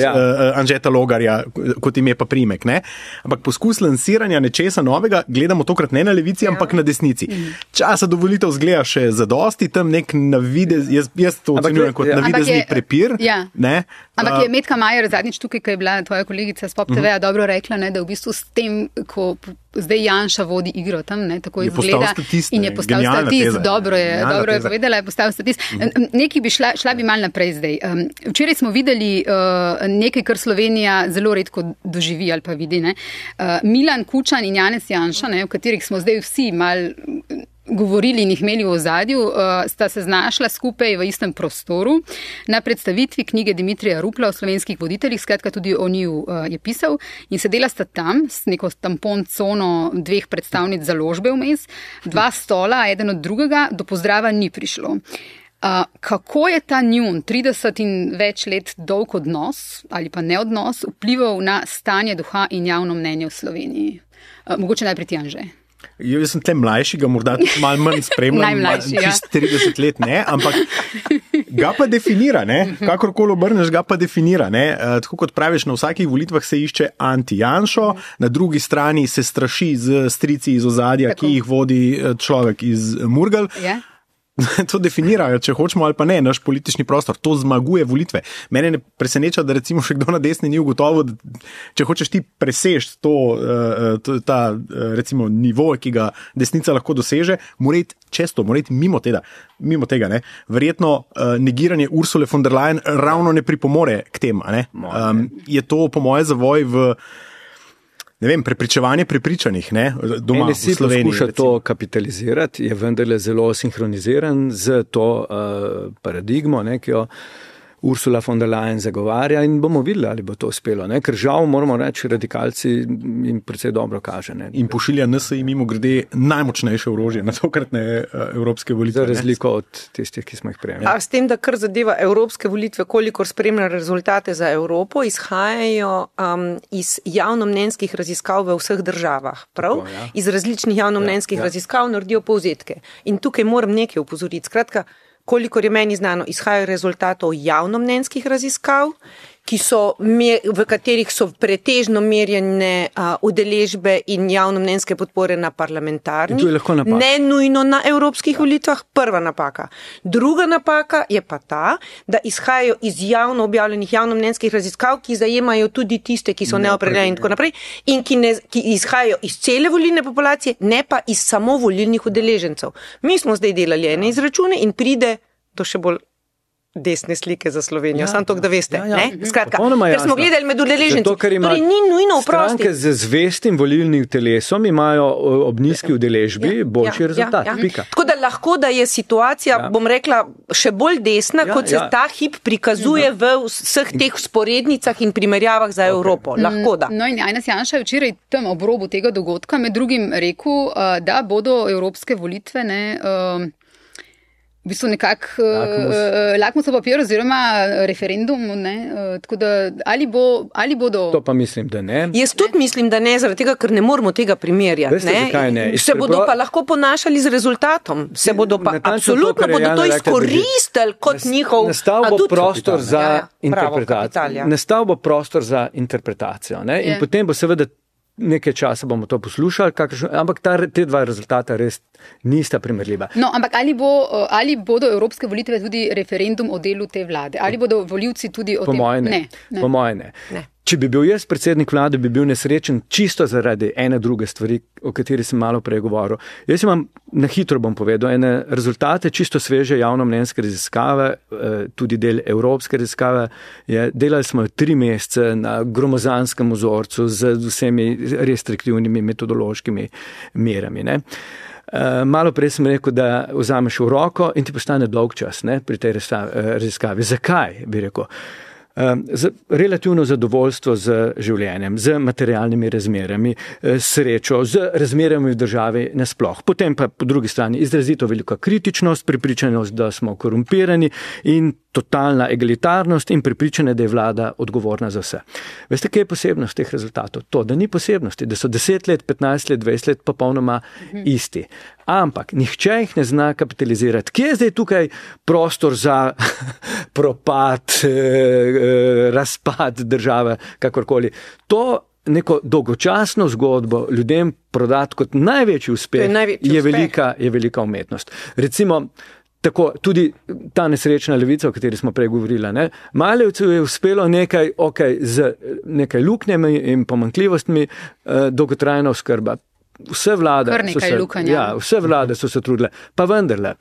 Speaker 3: Anžeta Logarja, kot ime pa primek, ne? Ampak poskus lansiranja nečesa novega gledamo tokrat ne na levici, ampak na desnici. Časa do volitev zgleda še zadosti, tam nek navidez, jaz to ocenjujem kot navidezni prepir. Ne?
Speaker 2: Ampak je Metka Majer zadnjič tukaj, ko je bila tvoja kolegica s Pop TV-a dobro rekla, da v bistvu s tem, ko zdaj Janša vodi igro tam, tako izgleda in je postal statist. Dobro je povedala, je postal statist. Nekaj bi šla bi mal naprej zdaj. Včeraj smo videli nekaj, kar Slovenija zelo redko doživi ali pa vidi. Milan Kučan in Janez Janša, o katerih smo zdaj vsi mal govorili in jih imeli v ozadju, sta se znašla skupaj v istem prostoru na predstavitvi knjige Dimitrija Rupla o slovenskih voditeljih, skratka tudi o njiju je pisal, in sedela sta tam s neko tampon cono 2 predstavnic založbe vmes, 2 stola, eden od drugega, do pozdrava ni prišlo. Kako je ta njun 30 in več let dolg odnos ali pa neodnos vplival na stanje duha in javno mnenje v Sloveniji? Mogoče najprej ti, Anže.
Speaker 3: Jaz sem tle mlajši, ga morda tudi malo manj spremljam, čist 30 let ne, ampak ga pa definira, kakorkoli obrneš, ga pa definira. Tako kot praviš, na vsakih volitvah se išče anti-Janšo, na drugi strani se straši z strici iz ozadja, ki jih vodi človek iz Murgel. To definirajo, če hočemo ali pa ne, naš politični prostor. To zmaguje volitve. Mene ne preseneča, da recimo še kdo na desni ni ugotovil, da če hočeš ti presežiti ta recimo nivo, ki ga desnica lahko doseže, mora iti čez to, mora iti mimo tega. Verjetno negiranje Ursule von der Leyen ravno ne pripomore k tem. Je to po moje zavoj v prepričevanje prepričanih, doma v Sloveniji.
Speaker 5: Poskuša to kapitalizirati, je vendarle zelo sinhroniziran z to paradigmo, ki jo Ursula von der Leyen zagovarja, in bomo videli, ali bo to uspelo. Ker žal, moramo reči, radikalci jim precej dobro kaže.
Speaker 3: In pošilja NSI mimo grede najmočnejše orožje na tokratne evropske volitve.
Speaker 5: Za razliko od tistih, ki smo jih prejeli.
Speaker 4: S tem, da kar zadeva evropske volitve, kolikor spremlja rezultate za Evropo, izhajajo iz javnomnenjskih raziskav v vseh državah. Prav? Iz različnih javnomnenjskih raziskav naredijo povzetke. In tukaj moram nekaj opozoriti. Skratka, kolikor je meni znano, izhajajo rezultatov javnomnenjskih raziskav, v katerih so pretežno merjene udeležbe in javnomnenjske podpore na parlamentarnih, ne nujno na evropskih volitvah. Prva napaka. Druga napaka je pa ta, da izhajajo iz javno objavljenih javnomnenjskih raziskav, ki zajemajo tudi tiste, ki so neopredeljeni in tako naprej, in ki izhajajo iz cele volilne populacije, ne pa iz samo volilnih udeležencev. Mi smo zdaj delali ene izračune in pride do še bolj desne slike za Slovenijo. Sam to, da veste. Skratka, ker smo gledali med udeleženci. Torej ni nujno vprosti.
Speaker 5: Stranke z zvestim volilnim telesom imajo ob nizki udeležbi boljši rezultat.
Speaker 4: Tako da lahko, da je situacija, bom rekla, še bolj desna, kot se ta hip prikazuje v vseh teh vzporednicah in primerjavah za Evropo. Lahko da.
Speaker 2: No in Janez Janša je včeraj tam ob robu tega dogodka med drugim rekel, da bodo evropske volitve v bistvu nekako lakmusov papir oziroma referendum, tako da ali bodo...
Speaker 5: To pa mislim, da ne.
Speaker 4: Jaz tudi mislim, da ne, zaradi tega, ker ne moramo tega primerjati.
Speaker 5: Veste, zakaj ne?
Speaker 4: Se bodo pa lahko ponašali z rezultatom. Se bodo pa absolutno bodo to izkoristili kot njihov...
Speaker 5: Nastal bo prostor za interpretacijo. Nastal bo prostor za interpretacijo. In potem bo seveda nekaj časa bomo to poslušali, ampak te dva rezultata res Nista primerljiva.
Speaker 2: No, ampak ali bodo evropske volitve tudi referendum o delu te vlade? Ali bodo volivci tudi o tem?
Speaker 5: Po moje ne. Če bi bil jaz predsednik vlade, bi bil nesrečen čisto zaradi ene druge stvari, o kateri sem malo prej govoril. Jaz imam, na hitro bom povedal, ene rezultate čisto sveže javnomnenjske raziskave, tudi del evropske raziskave. Delali smo 3 mesece na gromozanskem vzorcu z vsemi restriktivnimi metodološkimi merami. Ne? Malo prej sem rekel, da vzameš v roko in ti postane dolg čas, ne, pri tej raziskavi. Zakaj, bi rekel? Relativno zadovoljstvo z življenjem, z materialnimi razmerami, srečo, z razmerami v državi nasploh. Potem pa po drugi strani izrazito velika kritičnost, prepričanost, da smo korumpirani in totalna egalitarnost in prepričanje, da je vlada odgovorna za vse. Veste, kaj je posebnost teh rezultatov? To, da ni posebnosti, da so 10 let, 15 let, 20 let popolnoma isti. Ampak nihče jih ne zna kapitalizirati. Kje je zdaj tukaj prostor za propad, razpad države, kakorkoli? To neko dolgočasno zgodbo ljudem prodati kot največji uspeh je velika umetnost. Recimo, tako, tudi ta nesrečna levica, o kateri smo prej govorili, ne? Malevcu je uspelo z nekaj luknjami in pomanjkljivostmi dolgotrajna oskrba. Vse vlade so se trudile, pa vendarle.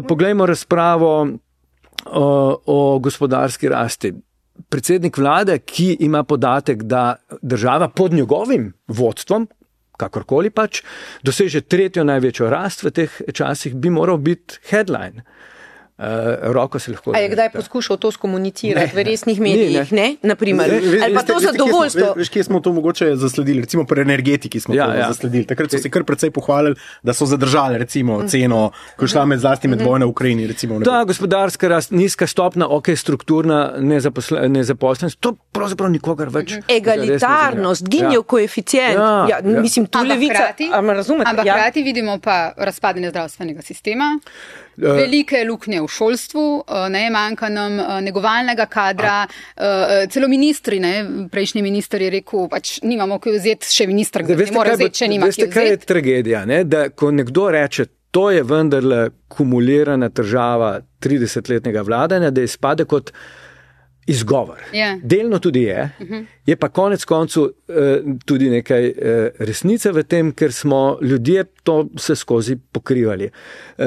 Speaker 5: Poglejmo razpravo o gospodarski rasti. Predsednik vlade, ki ima podatek, da država pod njegovim vodstvom, kakorkoli pač, doseže 3. največjo rast v teh časih, bi moral biti headline. Roko se lahko...
Speaker 4: A je kdaj poskušal to skomunicirati v resnih medijih, ne? Naprimer. Ali pa to zadovoljstvo.
Speaker 3: Veš, kje smo to mogoče zasledili? Recimo pri energetiki smo to zasledili. Takrat so se kar precej pohvalili, da so zadržali recimo ceno, ko šla zlasti med vojno v Ukrajini.
Speaker 5: Da, gospodarska rast, nizka stopna, strukturna nezaposlenost, to pravzaprav nikogar več.
Speaker 4: Egalitarnost, ginjev koeficient. Mislim, tu levica,
Speaker 2: ampak hkrati vidimo pa razpadanje zdravstvenega sistema. Velike luknje v šolstvu, manjka nam negovalnega kadra, celo ministri, prejšnji minister je rekel, pač nimamo kaj vzeti, še minister ne more vzeti, če nima kaj vzeti.
Speaker 5: Veste, kaj je tragedija, da ko nekdo reče, to je vendarle kumulirana država 30-letnega vladanja, da izpade kot izgovor. Delno tudi je pa konec koncu tudi nekaj resnice v tem, ker smo ljudje to vse skozi pokrivali.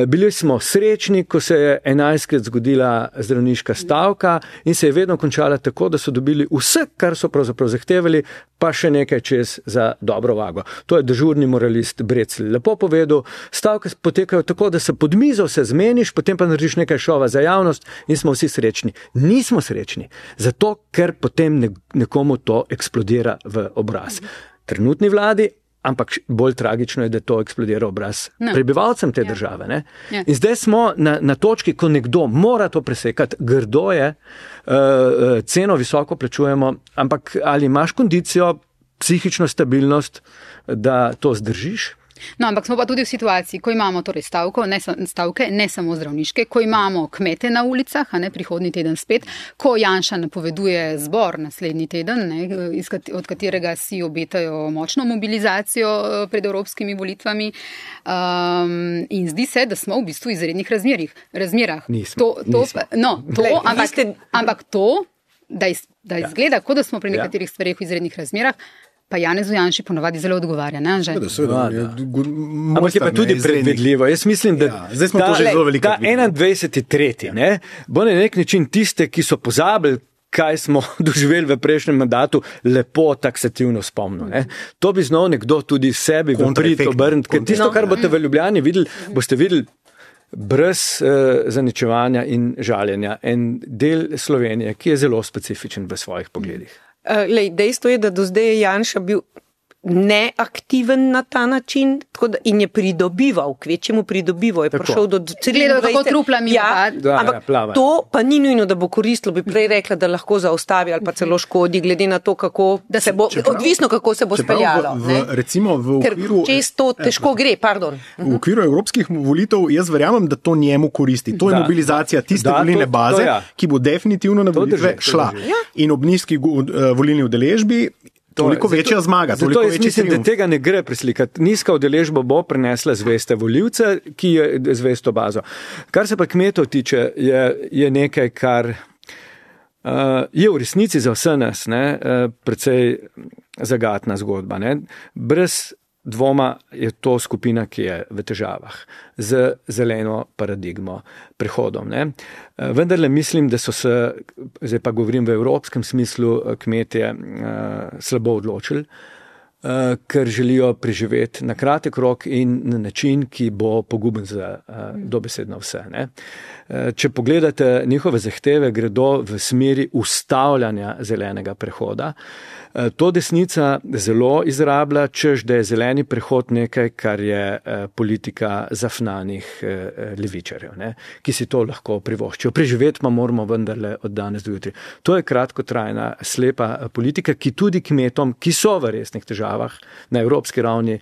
Speaker 5: Bili smo srečni, ko se je 11-krat zgodila zdravniška stavka in se je vedno končala tako, da so dobili vse, kar so pravzaprav zahtevali, pa še nekaj čez za dobro vago. To je dežurni moralist Brecl lepo povedal. Stavke potekajo tako, da se pod mizo se zmeniš, potem pa narediš nekaj šova za javnost in smo vsi srečni. Nismo srečni, zato ker potem nekomu to eksplodira v obraz. Trenutni vladi, ampak bolj tragično je, da to eksplodira obraz prebivalcem te države. Ne? In zdaj smo na točki, ko nekdo mora to presekati, grdo je, ceno visoko plačujemo, ampak ali imaš kondicijo, psihično stabilnost, da to zdržiš?
Speaker 2: No, ampak smo pa tudi v situaciji, ko imamo torej stavke, ne samo zdravniške, ko imamo kmete na ulicah, prihodnji teden spet, ko Janša napoveduje zbor naslednji teden, od katerega si obetajo močno mobilizacijo pred evropskimi volitvami. In zdi se, da smo v bistvu v izrednih razmerah.
Speaker 5: Nismo.
Speaker 2: Ampak to, da izgleda, kot da smo pri nekaterih stvareh v izrednih razmerah, pa Janezu Janši ponovadi zelo odgovarja, ne Anže?
Speaker 5: Ampak je pa tudi predvidljivo. Jaz mislim, da
Speaker 3: zdaj smo to že zelo veliko
Speaker 5: videli. 21.3. Bo na nek način tiste, ki so pozabili, kaj smo doživeli v prejšnjem mandatu, lepo taksativno spomnil. To bi znal nekdo tudi sebi v prid obrniti. Ker tisto, kar boste v Ljubljani videli, boste videli brez zaničevanja in žaljenja. En del Slovenije, ki je zelo specifičen v svojih pogledih.
Speaker 4: Dejstvo je, da do zdaj je Janša bil neaktiven na ta način in je pridobival, kvečjemu pridobival, je prišel do
Speaker 2: 23.
Speaker 4: Ampak to pa ni nujno, da bo koristilo, bi prej rekla, da lahko zaustavi ali pa celo škodi, glede na to, odvisno kako se bo speljalo.
Speaker 3: Ker
Speaker 4: često težko gre, pardon.
Speaker 3: V okviru evropskih volitev jaz verjamem, da to njemu koristi. To je mobilizacija tiste volilne baze, ki bo definitivno na volitve šla. In ob nizki volilni udeležbi Toliko večja zmaga.
Speaker 5: Zato jaz mislim, da tega ne gre preslikati. Nizka udeležba bo prinesla zveste volivce, ki je zvesto bazo. Kar se pa kmetov tiče, je nekaj, kar je v resnici za vse nas precej zagatna zgodba. Ne? Brez dvoma je to skupina, ki je v težavah z zeleno paradigmo, prehodom. Ne? Vendarle mislim, da so se, zdaj pa govorim v evropskem smislu, kmetje slabo odločili, ker želijo preživeti na kratek rok in na način, ki bo poguben za dobesedno vse. Ne? Če pogledate njihove zahteve, gredo v smeri ustavljanja zelenega prehoda. To desnica zelo izrablja, češ da je zeleni prehod nekaj, kar je politika zafnanih levičarjev, ki si to lahko privoščijo. Preživeti pa moramo vendarle od danes do jutri. To je kratkotrajna, slepa politika, ki tudi kmetom, ki so v resnih težavah na evropski ravni,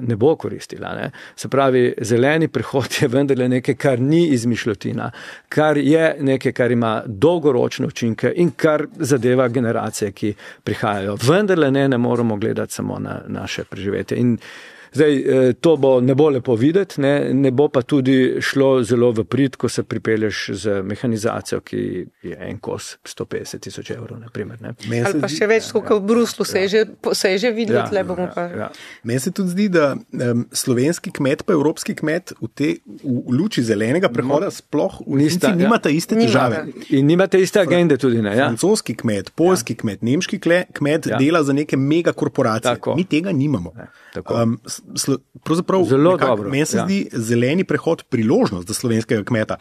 Speaker 5: ne bo koristila. Ne? Se pravi, zeleni prehod je vendarle nekaj, kar ni izmišljotina, kar je nekaj, kar ima dolgoročne učinke in kar zadeva generacije, ki prihajajo. Vendarle ne moramo gledati samo na naše preživetje. In zdaj, to ne bo lepo videti, ne bo pa tudi šlo zelo v prid, ko se pripelješ z mehanizacijo, ki je en kos 150,000 evrov, na primer. Ne.
Speaker 4: Ali pa še več, kot v Bruslu se je že videlo, tle bomo pa.
Speaker 3: Meni se tudi zdi, da slovenski kmet pa evropski kmet v luči zelenega prehoda sploh nimata iste težave.
Speaker 5: In nimate iste agende tudi, ne? Ja.
Speaker 3: Francoski kmet, poljski kmet, nemški kmet dela za neke megakorporacije. Tako. Mi tega nimamo. Pravzaprav meni se zdi zeleni prehod priložnost za slovenskega kmeta.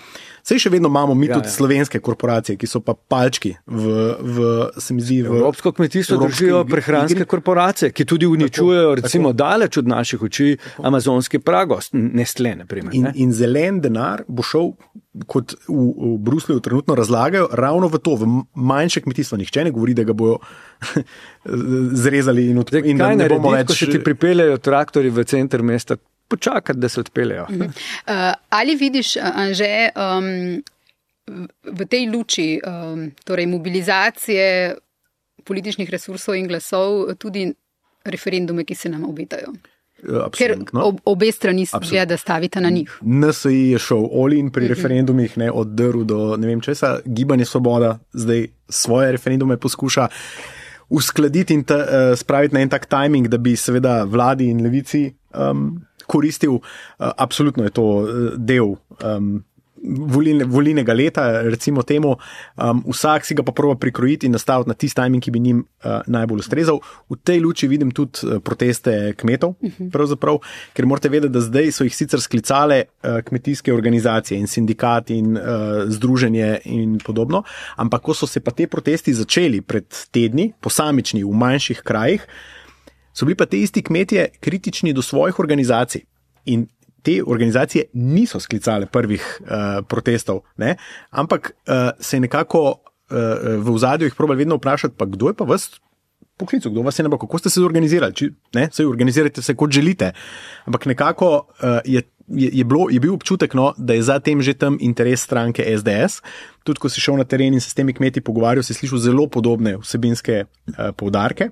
Speaker 3: Sej še vedno imamo mi tudi slovenske korporacije, ki so pa palčki se mi zdi
Speaker 5: Evropsko kmetijstvo držijo prehranske korporacije, ki tudi uničujejo recimo daleč od naših oči amazonski pragost, Nestlé, na primer.
Speaker 3: In zelen denar bo šel, kot v Bruslju trenutno razlagajo, ravno v to, v manjše kmetijstvo. Nihče ne govori, da ga bojo zrezali in da ne bomo več.
Speaker 5: Ko se ti pripeljajo traktori v center mesta, počakati, da se odpeljajo.
Speaker 2: Ali vidiš, Anže, v tej luči, torej mobilizacije političnih resursov in glasov, tudi referendume, ki se nam obetajo?
Speaker 3: Absolutno.
Speaker 2: Ker obe strani je, da stavite na njih.
Speaker 3: NSI je šel all-in pri referendumih, od drv do ne vem česa. Gibanje Svoboda zdaj svoje referendume poskuša uskladiti in spraviti na en tak timing, da bi seveda vladi in levici koristil. Absolutno je to del volilnega leta, recimo temu. Vsak si ga pa prova prikrojiti in nastaviti na tisti timing, ki bi njim najbolj ustrezal. V tej luči vidim tudi proteste kmetov, pravzaprav, ker morate vedeti, da zdaj so jih sicer sklicale kmetijske organizacije in sindikati in združenje in podobno, ampak ko so se pa te protesti začeli pred tedni, posamični v manjših krajih, so bili pa te isti kmetje kritični do svojih organizacij in te organizacije niso sklicale prvih protestov, ampak se je nekako v ozadju jih probali vedno vprašati, pa kdo je pa vas poklical, kdo vas je nabral, kako ste se zorganizirali, saj organizirajte se kot želite, ampak nekako je bil občutek, da je za tem že tam interes stranke SDS. Tudi ko si šel na teren in se s temi kmeti pogovarjal, si slišal zelo podobne vsebinske poudarke.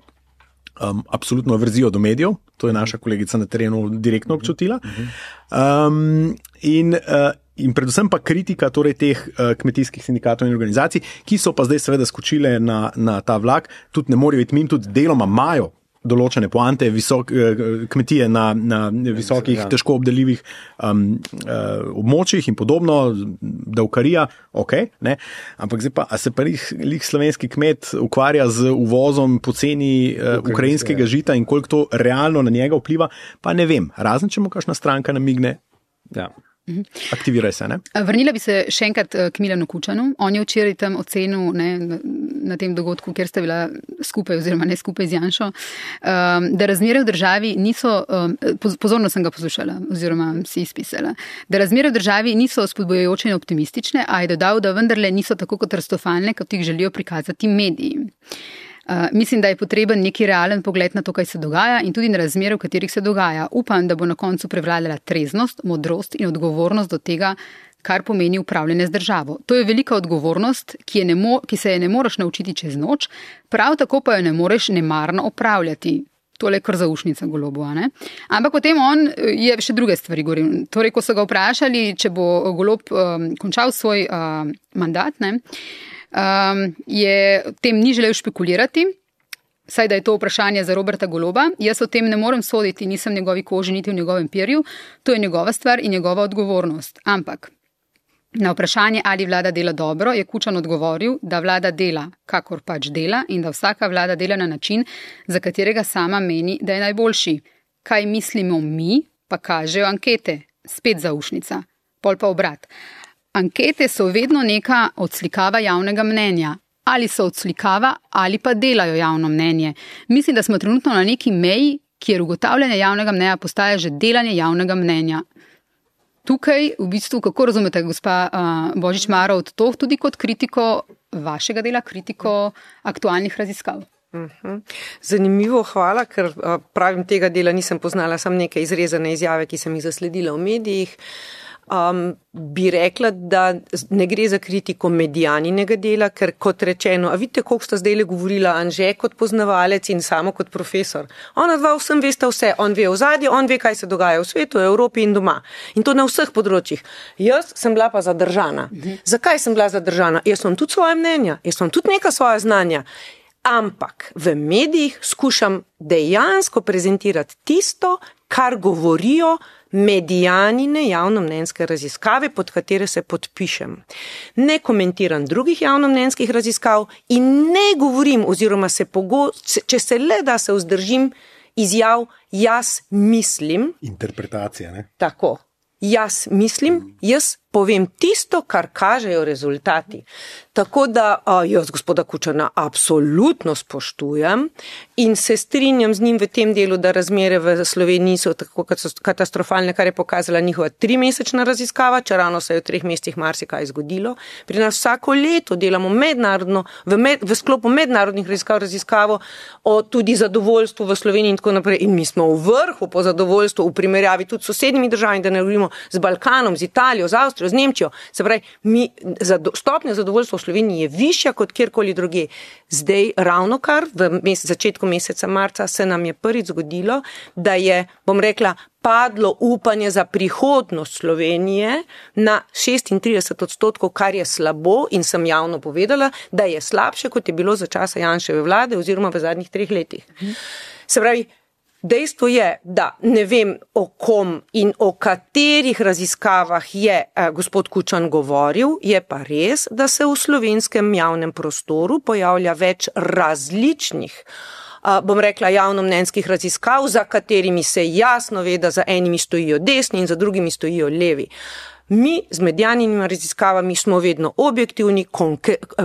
Speaker 3: Absolutno verzijo do medijev, to je naša kolegica na terenu direktno občutila. In predvsem pa kritika torej teh kmetijskih sindikatov in organizacij, ki so pa zdaj seveda skočile na ta vlak, tudi ne morejo iti mimo, tudi deloma imajo določene poante, kmetije na visokih, težko obdeljivih območjih in podobno, davkarija, ampak zdaj pa, a se pa lih slovenski kmet ukvarja z uvozom poceni ukrajinskega žita in koliko to realno na njega vpliva, pa ne vem, razen če mu kakšna stranka namigne. Ja. Aktiviraj se, ne?
Speaker 2: Vrnila bi se še enkrat k Milanu Kučanu. On je včeraj tam ocenil na tem dogodku, kjer sta bila skupaj oziroma ne skupaj z Janšo, da razmere v državi niso, pozorno sem ga poslušala oziroma si izpisala, da razmere v državi niso spodbujajoče in optimistične, a je dodal, da vendarle niso tako katastrofalne, kot jih želijo prikazati mediji. Mislim, da je potreben neki realen pogled na to, kaj se dogaja in tudi na razmere, v katerih se dogaja. Upam, da bo na koncu prevladala treznost, modrost in odgovornost do tega, kar pomeni upravljanje z državo. To je velika odgovornost, ki se je ne moreš naučiti čez noč, prav tako pa jo ne moreš nemarno opravljati. Tole je kar zaušnica Golobu, ne? Ampak potem on je še druge stvari govoril. Torej, ko so ga vprašali, če bo Golob končal svoj mandat, ne, je o tem ni želel špekulirati, saj da je to vprašanje za Roberta Goloba. Jaz o tem ne morem soditi, nisem v njegovi koži, niti v njegovem perju. To je njegova stvar in njegova odgovornost. Ampak na vprašanje, ali vlada dela dobro, je Kučan odgovoril, da vlada dela, kakor pač dela in da vsaka vlada dela na način, za katerega sama meni, da je najboljši. Kaj mislimo mi, pa kažejo ankete. Spet zaušnica. Pol pa obrat. Ankete so vedno neka odslikava javnega mnenja. Ali so odslikava, ali pa delajo javno mnenje. Mislim, da smo trenutno na neki meji, kjer ugotavljanje javnega mnenja postaja že delanje javnega mnenja. Tukaj, v bistvu, kako razumete, gospa Božič-Marovt, to tudi kot kritiko vašega dela, kritiko aktualnih raziskav?
Speaker 4: Zanimivo, hvala, ker pravim, tega dela nisem poznala, sam neke izrezane izjave, ki sem jih zasledila v medijih. Bi rekla, da ne gre za kritiko medijaninega dela, ker kot rečeno, a vidite, koliko sta zdaj le govorila Anže kot poznavalec in samo kot profesor. Ona dva vsem veste vse, on ve ozadje, on ve, kaj se dogaja v svetu, v Evropi in doma. In to na vseh področjih. Jaz sem bila pa zadržana. Zakaj sem bila zadržana? Jaz sem tudi svoje mnenja, jaz sem tudi neka svoja znanja. Ampak v medijih skušam dejansko prezentirati tisto, kar govorijo medijanine javnomnenjske raziskave, pod katere se podpišem. Ne komentiram drugih javnomnenjskih raziskav in ne govorim, oziroma če se le da se vzdržim izjav, jaz mislim.
Speaker 3: Interpretacija, ne?
Speaker 4: Tako. Jaz mislim, jaz povem tisto, kar kažejo rezultati. Tako da jaz gospoda Kučana absolutno spoštujem in se strinjam z njim v tem delu, da razmere v Sloveniji so tako katastrofalne, kar je pokazala njihova 3-mesečna raziskava, če ravno se je v 3 mesecih marsikaj zgodilo. Pri nas vsako leto delamo mednarodno, v sklopu mednarodnih raziskavo o tudi zadovoljstvu v Sloveniji in tako naprej. In mi smo v vrhu po zadovoljstvu v primerjavi tudi s sosednjimi državami, da ne govorimo z Balkanom, z Italijo, z Avstrijo, z Nemčijo. Se pravi, stopnja zadovoljstva v Sloveniji je višja kot kjerkoli druge. Zdaj, ravno kar v začetku meseca marca se nam je prvič zgodilo, da je, bom rekla, padlo upanje za prihodnost Slovenije na 36%, kar je slabo in sem javno povedala, da je slabše, kot je bilo za časa Janševe vlade oziroma v zadnjih 3 letih. Se pravi, dejstvo je, da ne vem o kom in o katerih raziskavah je gospod Kučan govoril, je pa res, da se v slovenskem javnem prostoru pojavlja več različnih, bom rekla, javnomnenjskih raziskav, za katerimi se jasno ve, da za enimi stojijo desni in za drugimi stojijo levi. Mi z medijaninimi raziskavami smo vedno objektivni,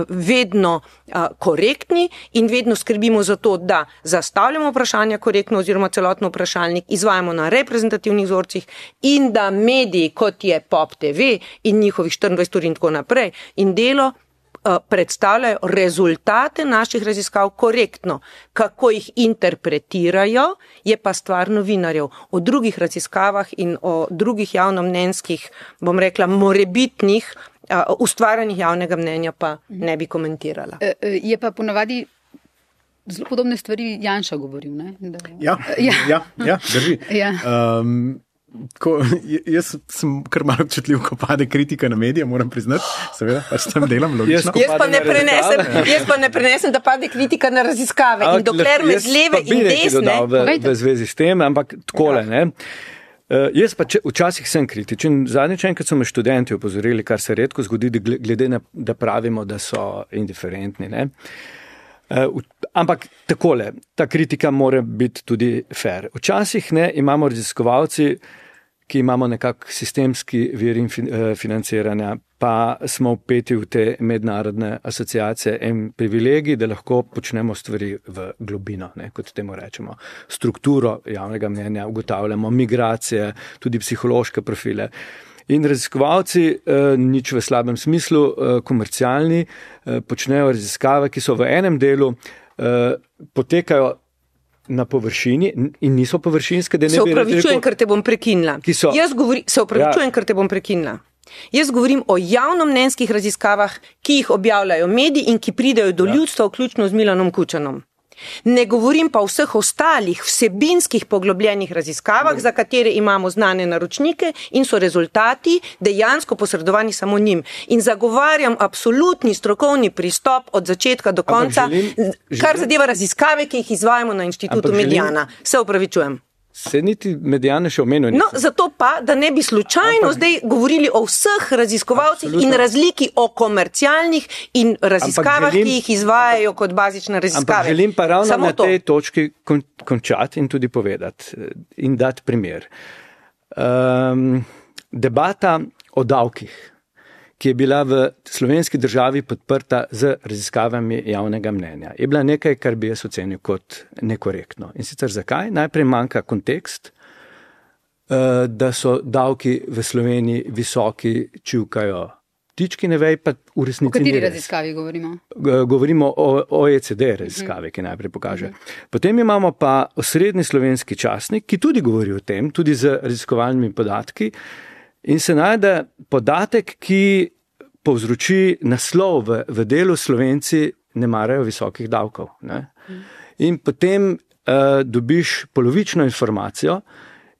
Speaker 4: vedno korektni in vedno skrbimo za to, da zastavljamo vprašanja korektno oziroma celotno vprašalnik, izvajamo na reprezentativnih vzorcih in da mediji, kot je Pop TV in njihovih 24 ur in tako naprej in Delo, predstavljajo rezultate naših raziskav korektno. Kako jih interpretirajo, je pa stvar novinarjev. O drugih raziskavah in o drugih javnomnenjskih, bom rekla, morebitnih ustvarjanjih javnega mnenja pa ne bi komentirala.
Speaker 2: Je pa ponavadi zelo podobne stvari Janša govoril, ne?
Speaker 3: Ja, drži.
Speaker 2: Ja.
Speaker 3: Jaz sem kar malo občutljiv, ko pade kritika na medije, moram priznati, seveda, pač tam delam logično.
Speaker 4: Jaz pa ne prenesem, da pade kritika na raziskave in dokler me z leve in desne.
Speaker 5: V zvezi s tem, ampak takole, ne. Jaz pa včasih sem kritičen. Zadnjič enkrat so me študenti opozorili, kar se redko zgodi, glede na, da pravimo, da so indiferentni, ne. Ampak takole, ta kritika mora biti tudi fair. Včasih ne, imamo raziskovalci, ki imamo nekak sistemski vir financiranja, pa smo vpeti v te mednarodne asociacije in privilegij, da lahko počnemo stvari v globino, ne, kot temu rečemo. Strukturo javnega mnenja, ugotavljamo migracije, tudi psihološke profile. In raziskovalci, nič v slabem smislu, komercialni, počnejo raziskave, ki so v enem delu, potekajo na površini in niso površinske, da ne bi...
Speaker 4: Se opravičujem, ker te bom prekinila. Se opravičujem, ker te bom prekinila. Jaz govorim o javnomnenjskih raziskavah, ki jih objavljajo mediji in ki pridejo do ljudstva, vključno z Milanom Kučanom. Ne govorim pa o vseh ostalih vsebinskih poglobljenih raziskavah, za katere imamo znane naročnike in so rezultati dejansko posredovani samo njim. In zagovarjam absolutni strokovni pristop od začetka do konca, kar zadeva raziskave, ki jih izvajamo na Inštitutu Mediana. Se opravičujem.
Speaker 5: Se niti Mediane še omenil.
Speaker 4: No, zato pa, da ne bi slučajno zdaj govorili o vseh raziskovalcih in razliki o komercialnih in raziskavah, ki jih izvajajo kot bazične raziskave.
Speaker 5: Ampak želim pa ravno samo na tej točki končati in tudi povedati in dati primer. Debata o davkih, ki je bila v slovenski državi podprta z raziskavami javnega mnenja, je bila nekaj, kar bi jaz ocenil kot nekorektno. In sicer zakaj? Najprej manjka kontekst, da so davki v Sloveniji visoki, čivkajo ptički, ne vej, pa v resnici ni res. O
Speaker 2: kateri raziskavi govorimo?
Speaker 5: Govorimo o OECD raziskavi, ki najprej pokaže. Potem imamo pa osrednji slovenski časnik, ki tudi govori o tem, tudi z raziskovalnimi podatki, in se najde podatek, ki povzroči naslov v delu Slovenci ne marajo visokih davkov. Ne? In potem dobiš polovično informacijo,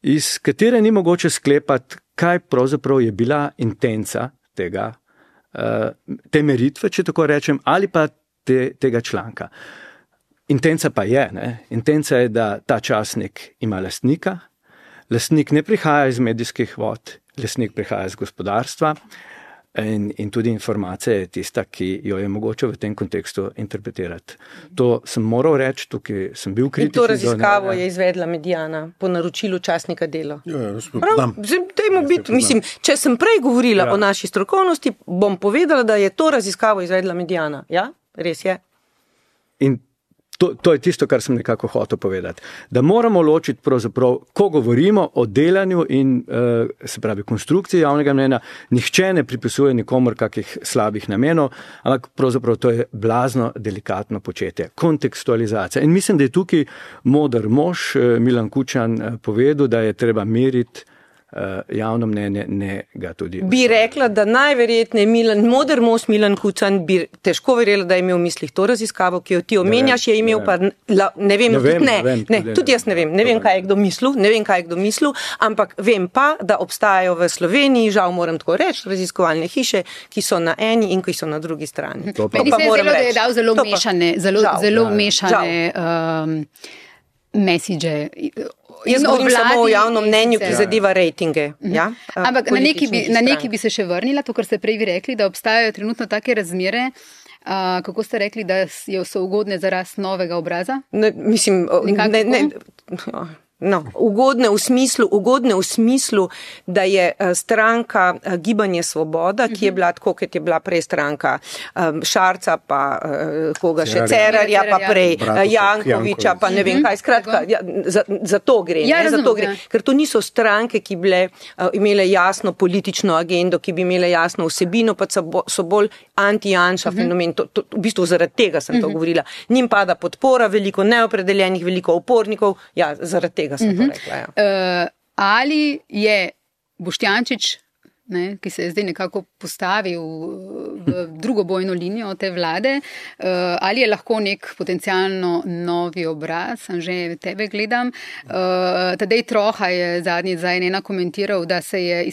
Speaker 5: iz katere ni mogoče sklepati, kaj pravzaprav je bila intenca te meritve, če tako rečem, ali pa tega članka. Intenca pa je, intenca je, da ta časnik ima lastnika, lastnik ne prihaja iz medijskih vod, lastnik prihaja iz gospodarstva in tudi informacija je tista, ki jo je mogoče v tem kontekstu interpretirati. To sem moral reči, tukaj sem bil kritičen.
Speaker 4: In to raziskavo je izvedla Mediana po naročilu časnika Delo. Če sem prej govorila o naši strokovnosti, bom povedala, da je to raziskavo izvedla Mediana. Ja, res je.
Speaker 5: In to je tisto, kar sem nekako hotel povedati. Da moramo ločiti pravzaprav, ko govorimo o delanju in se pravi konstrukciji javnega mnenja, nihče ne pripisuje nikomor kakih slabih namenov, ampak pravzaprav to je blazno delikatno početje. Kontekstualizacija. In mislim, da je tukaj moder mož Milan Kučan povedal, da je treba meriti javno mnenje, ne ga tudi.
Speaker 4: Bi rekla, da najverjetneje moder mož Milan Kučan bi težko verjela, da je imel v mislih to raziskavo, ki jo ti omenjaš, je imel pa, ne vem, tudi jaz ne vem, kaj je kdo mislil, ampak vem pa, da obstajajo v Sloveniji, žal moram tako reči, raziskovalne hiše, ki so na eni in ki so na drugi strani.
Speaker 2: Meni se je zelo, da je dal zelo mešane message.
Speaker 4: Jaz govorim samo o javnem mnenju, ki zadeva rejtinge. Ja?
Speaker 2: Ampak na neki bi se še vrnila, to, kar ste prej vi rekli, da obstajajo trenutno take razmere, kako ste rekli, da so ugodne za rast novega obraza? Ugodne v smislu, da je stranka Gibanje Svoboda, ki je bila tako, kot je bila prej stranka Šarca, pa koga še, Cerarja, pa prej Jankoviča, pa ne vem kaj, skratka, za to gre. Ker to niso stranke, ki bi imele jasno politično agendo, ki bi imele jasno vsebino, pa so bolj anti-Janša fenomen. V bistvu zaradi tega sem to govorila. Njim pada podpora, veliko neopredeljenih, veliko upornikov, ja, zaradi tega sem to rekla. Ja. Ali je Boštjančič, ki se je zdaj nekako postavil v drugo bojno linijo te vlade, ali je lahko nek potencialno novi obraz, že tebe gledam. Tadej Troha je zadnji komentiral, da se je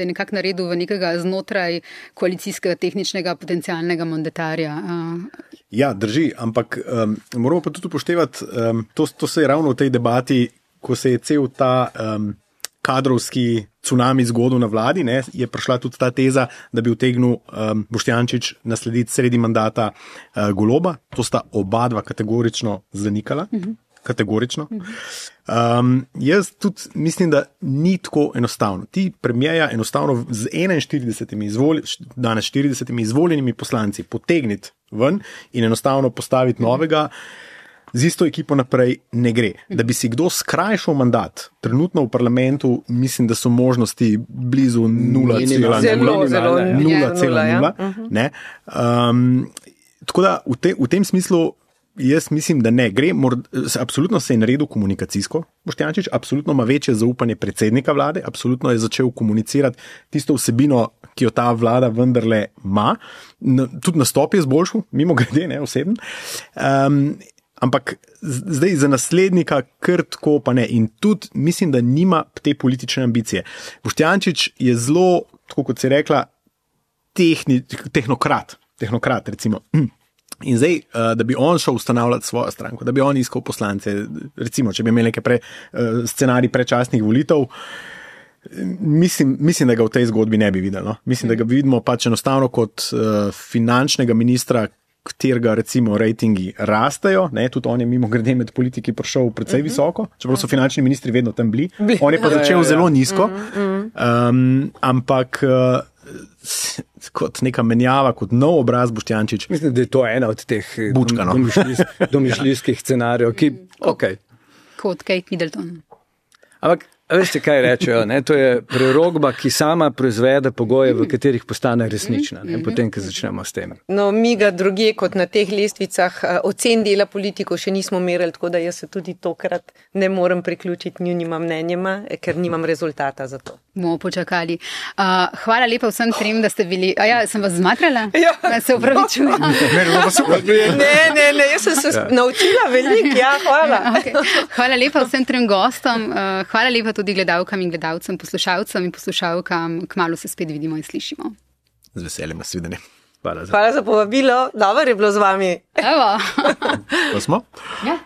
Speaker 2: nekako naredil v nekega znotraj koalicijskega tehničnega potencialnega mandatarja.
Speaker 3: Ja, drži, ampak moramo pa tudi upoštevati, to se je ravno v tej debati, ko se je cel ta kadrovski cunami zgodil na vladi, je prišla tudi ta teza, da bi utegnil Boštjančič naslediti sredi mandata Goloba. To sta oba dva kategorično zanikala. Kategorično. Jaz tudi mislim, da ni tako enostavno. Ti premijeja enostavno z 40 izvoljenimi poslanci potegniti ven in enostavno postaviti novega, z isto ekipo naprej ne gre. Da bi si kdo skrajšal mandat, trenutno v parlamentu mislim, da so možnosti blizu 0,0. Tako da v tem smislu Jaz mislim, da ne. Absolutno se je naredil komunikacijsko, Boštjančič, absolutno ima večje zaupanje predsednika vlade, absolutno je začel komunicirati tisto vsebino, ki jo ta vlada vendarle ima. Tudi nastop je zboljšal, mimo grede, ne oseben. Ampak zdaj za naslednika kar tako pa ne. In tudi mislim, da nima te politične ambicije. Boštjančič je zelo, tako kot si rekla, tehnokrat recimo. In zdaj, da bi on šel ustanavljati svojo stranko, da bi on iskal poslance, recimo, če bi imeli nekaj scenarij predčasnih volitev, mislim, da ga v tej zgodbi ne bi videli. No? Mislim, da ga vidimo pač enostavno kot finančnega ministra, katerega recimo rejtingi rastejo, ne? Tudi on je mimo grede med politiki prišel precej visoko, čeprav so finančni ministri vedno tam bili. On je pa začel zelo nizko, ampak kot neka menjava, kot nov obraz Boštjančič.
Speaker 5: Mislim, da je to ena od teh domišljijskih scenarijev, ki,
Speaker 2: Kot Kate Middleton.
Speaker 5: Ampak, veste, kaj rečejo, ne? To je prerogba, ki sama proizvede pogoje, v katerih postane resnična, ne? Potem, ko začnemo s tem.
Speaker 4: No, mi ga drugje kot na teh lestvicah ocen dela politikov še nismo merili, tako da jaz se tudi tokrat ne morem priključiti njunima mnenjima, ker nimam rezultata za to.
Speaker 2: Bomo počakali. Hvala lepa vsem trem, da ste bili... sem vas zmatrala?
Speaker 4: Ja.
Speaker 2: Se upravičujem.
Speaker 4: Ne, jaz sem se naučila veliko, hvala.
Speaker 2: Okay. Hvala lepa vsem trem gostom, hvala lepa tudi gledalkam in gledalcem, poslušalcem in poslušalkam. Kmalu se spet vidimo in slišimo.
Speaker 3: Z veseljem, nasvidenje.
Speaker 4: Hvala za povabilo, dobro je bilo z vami.
Speaker 2: Evo.
Speaker 3: To smo?
Speaker 2: Ja.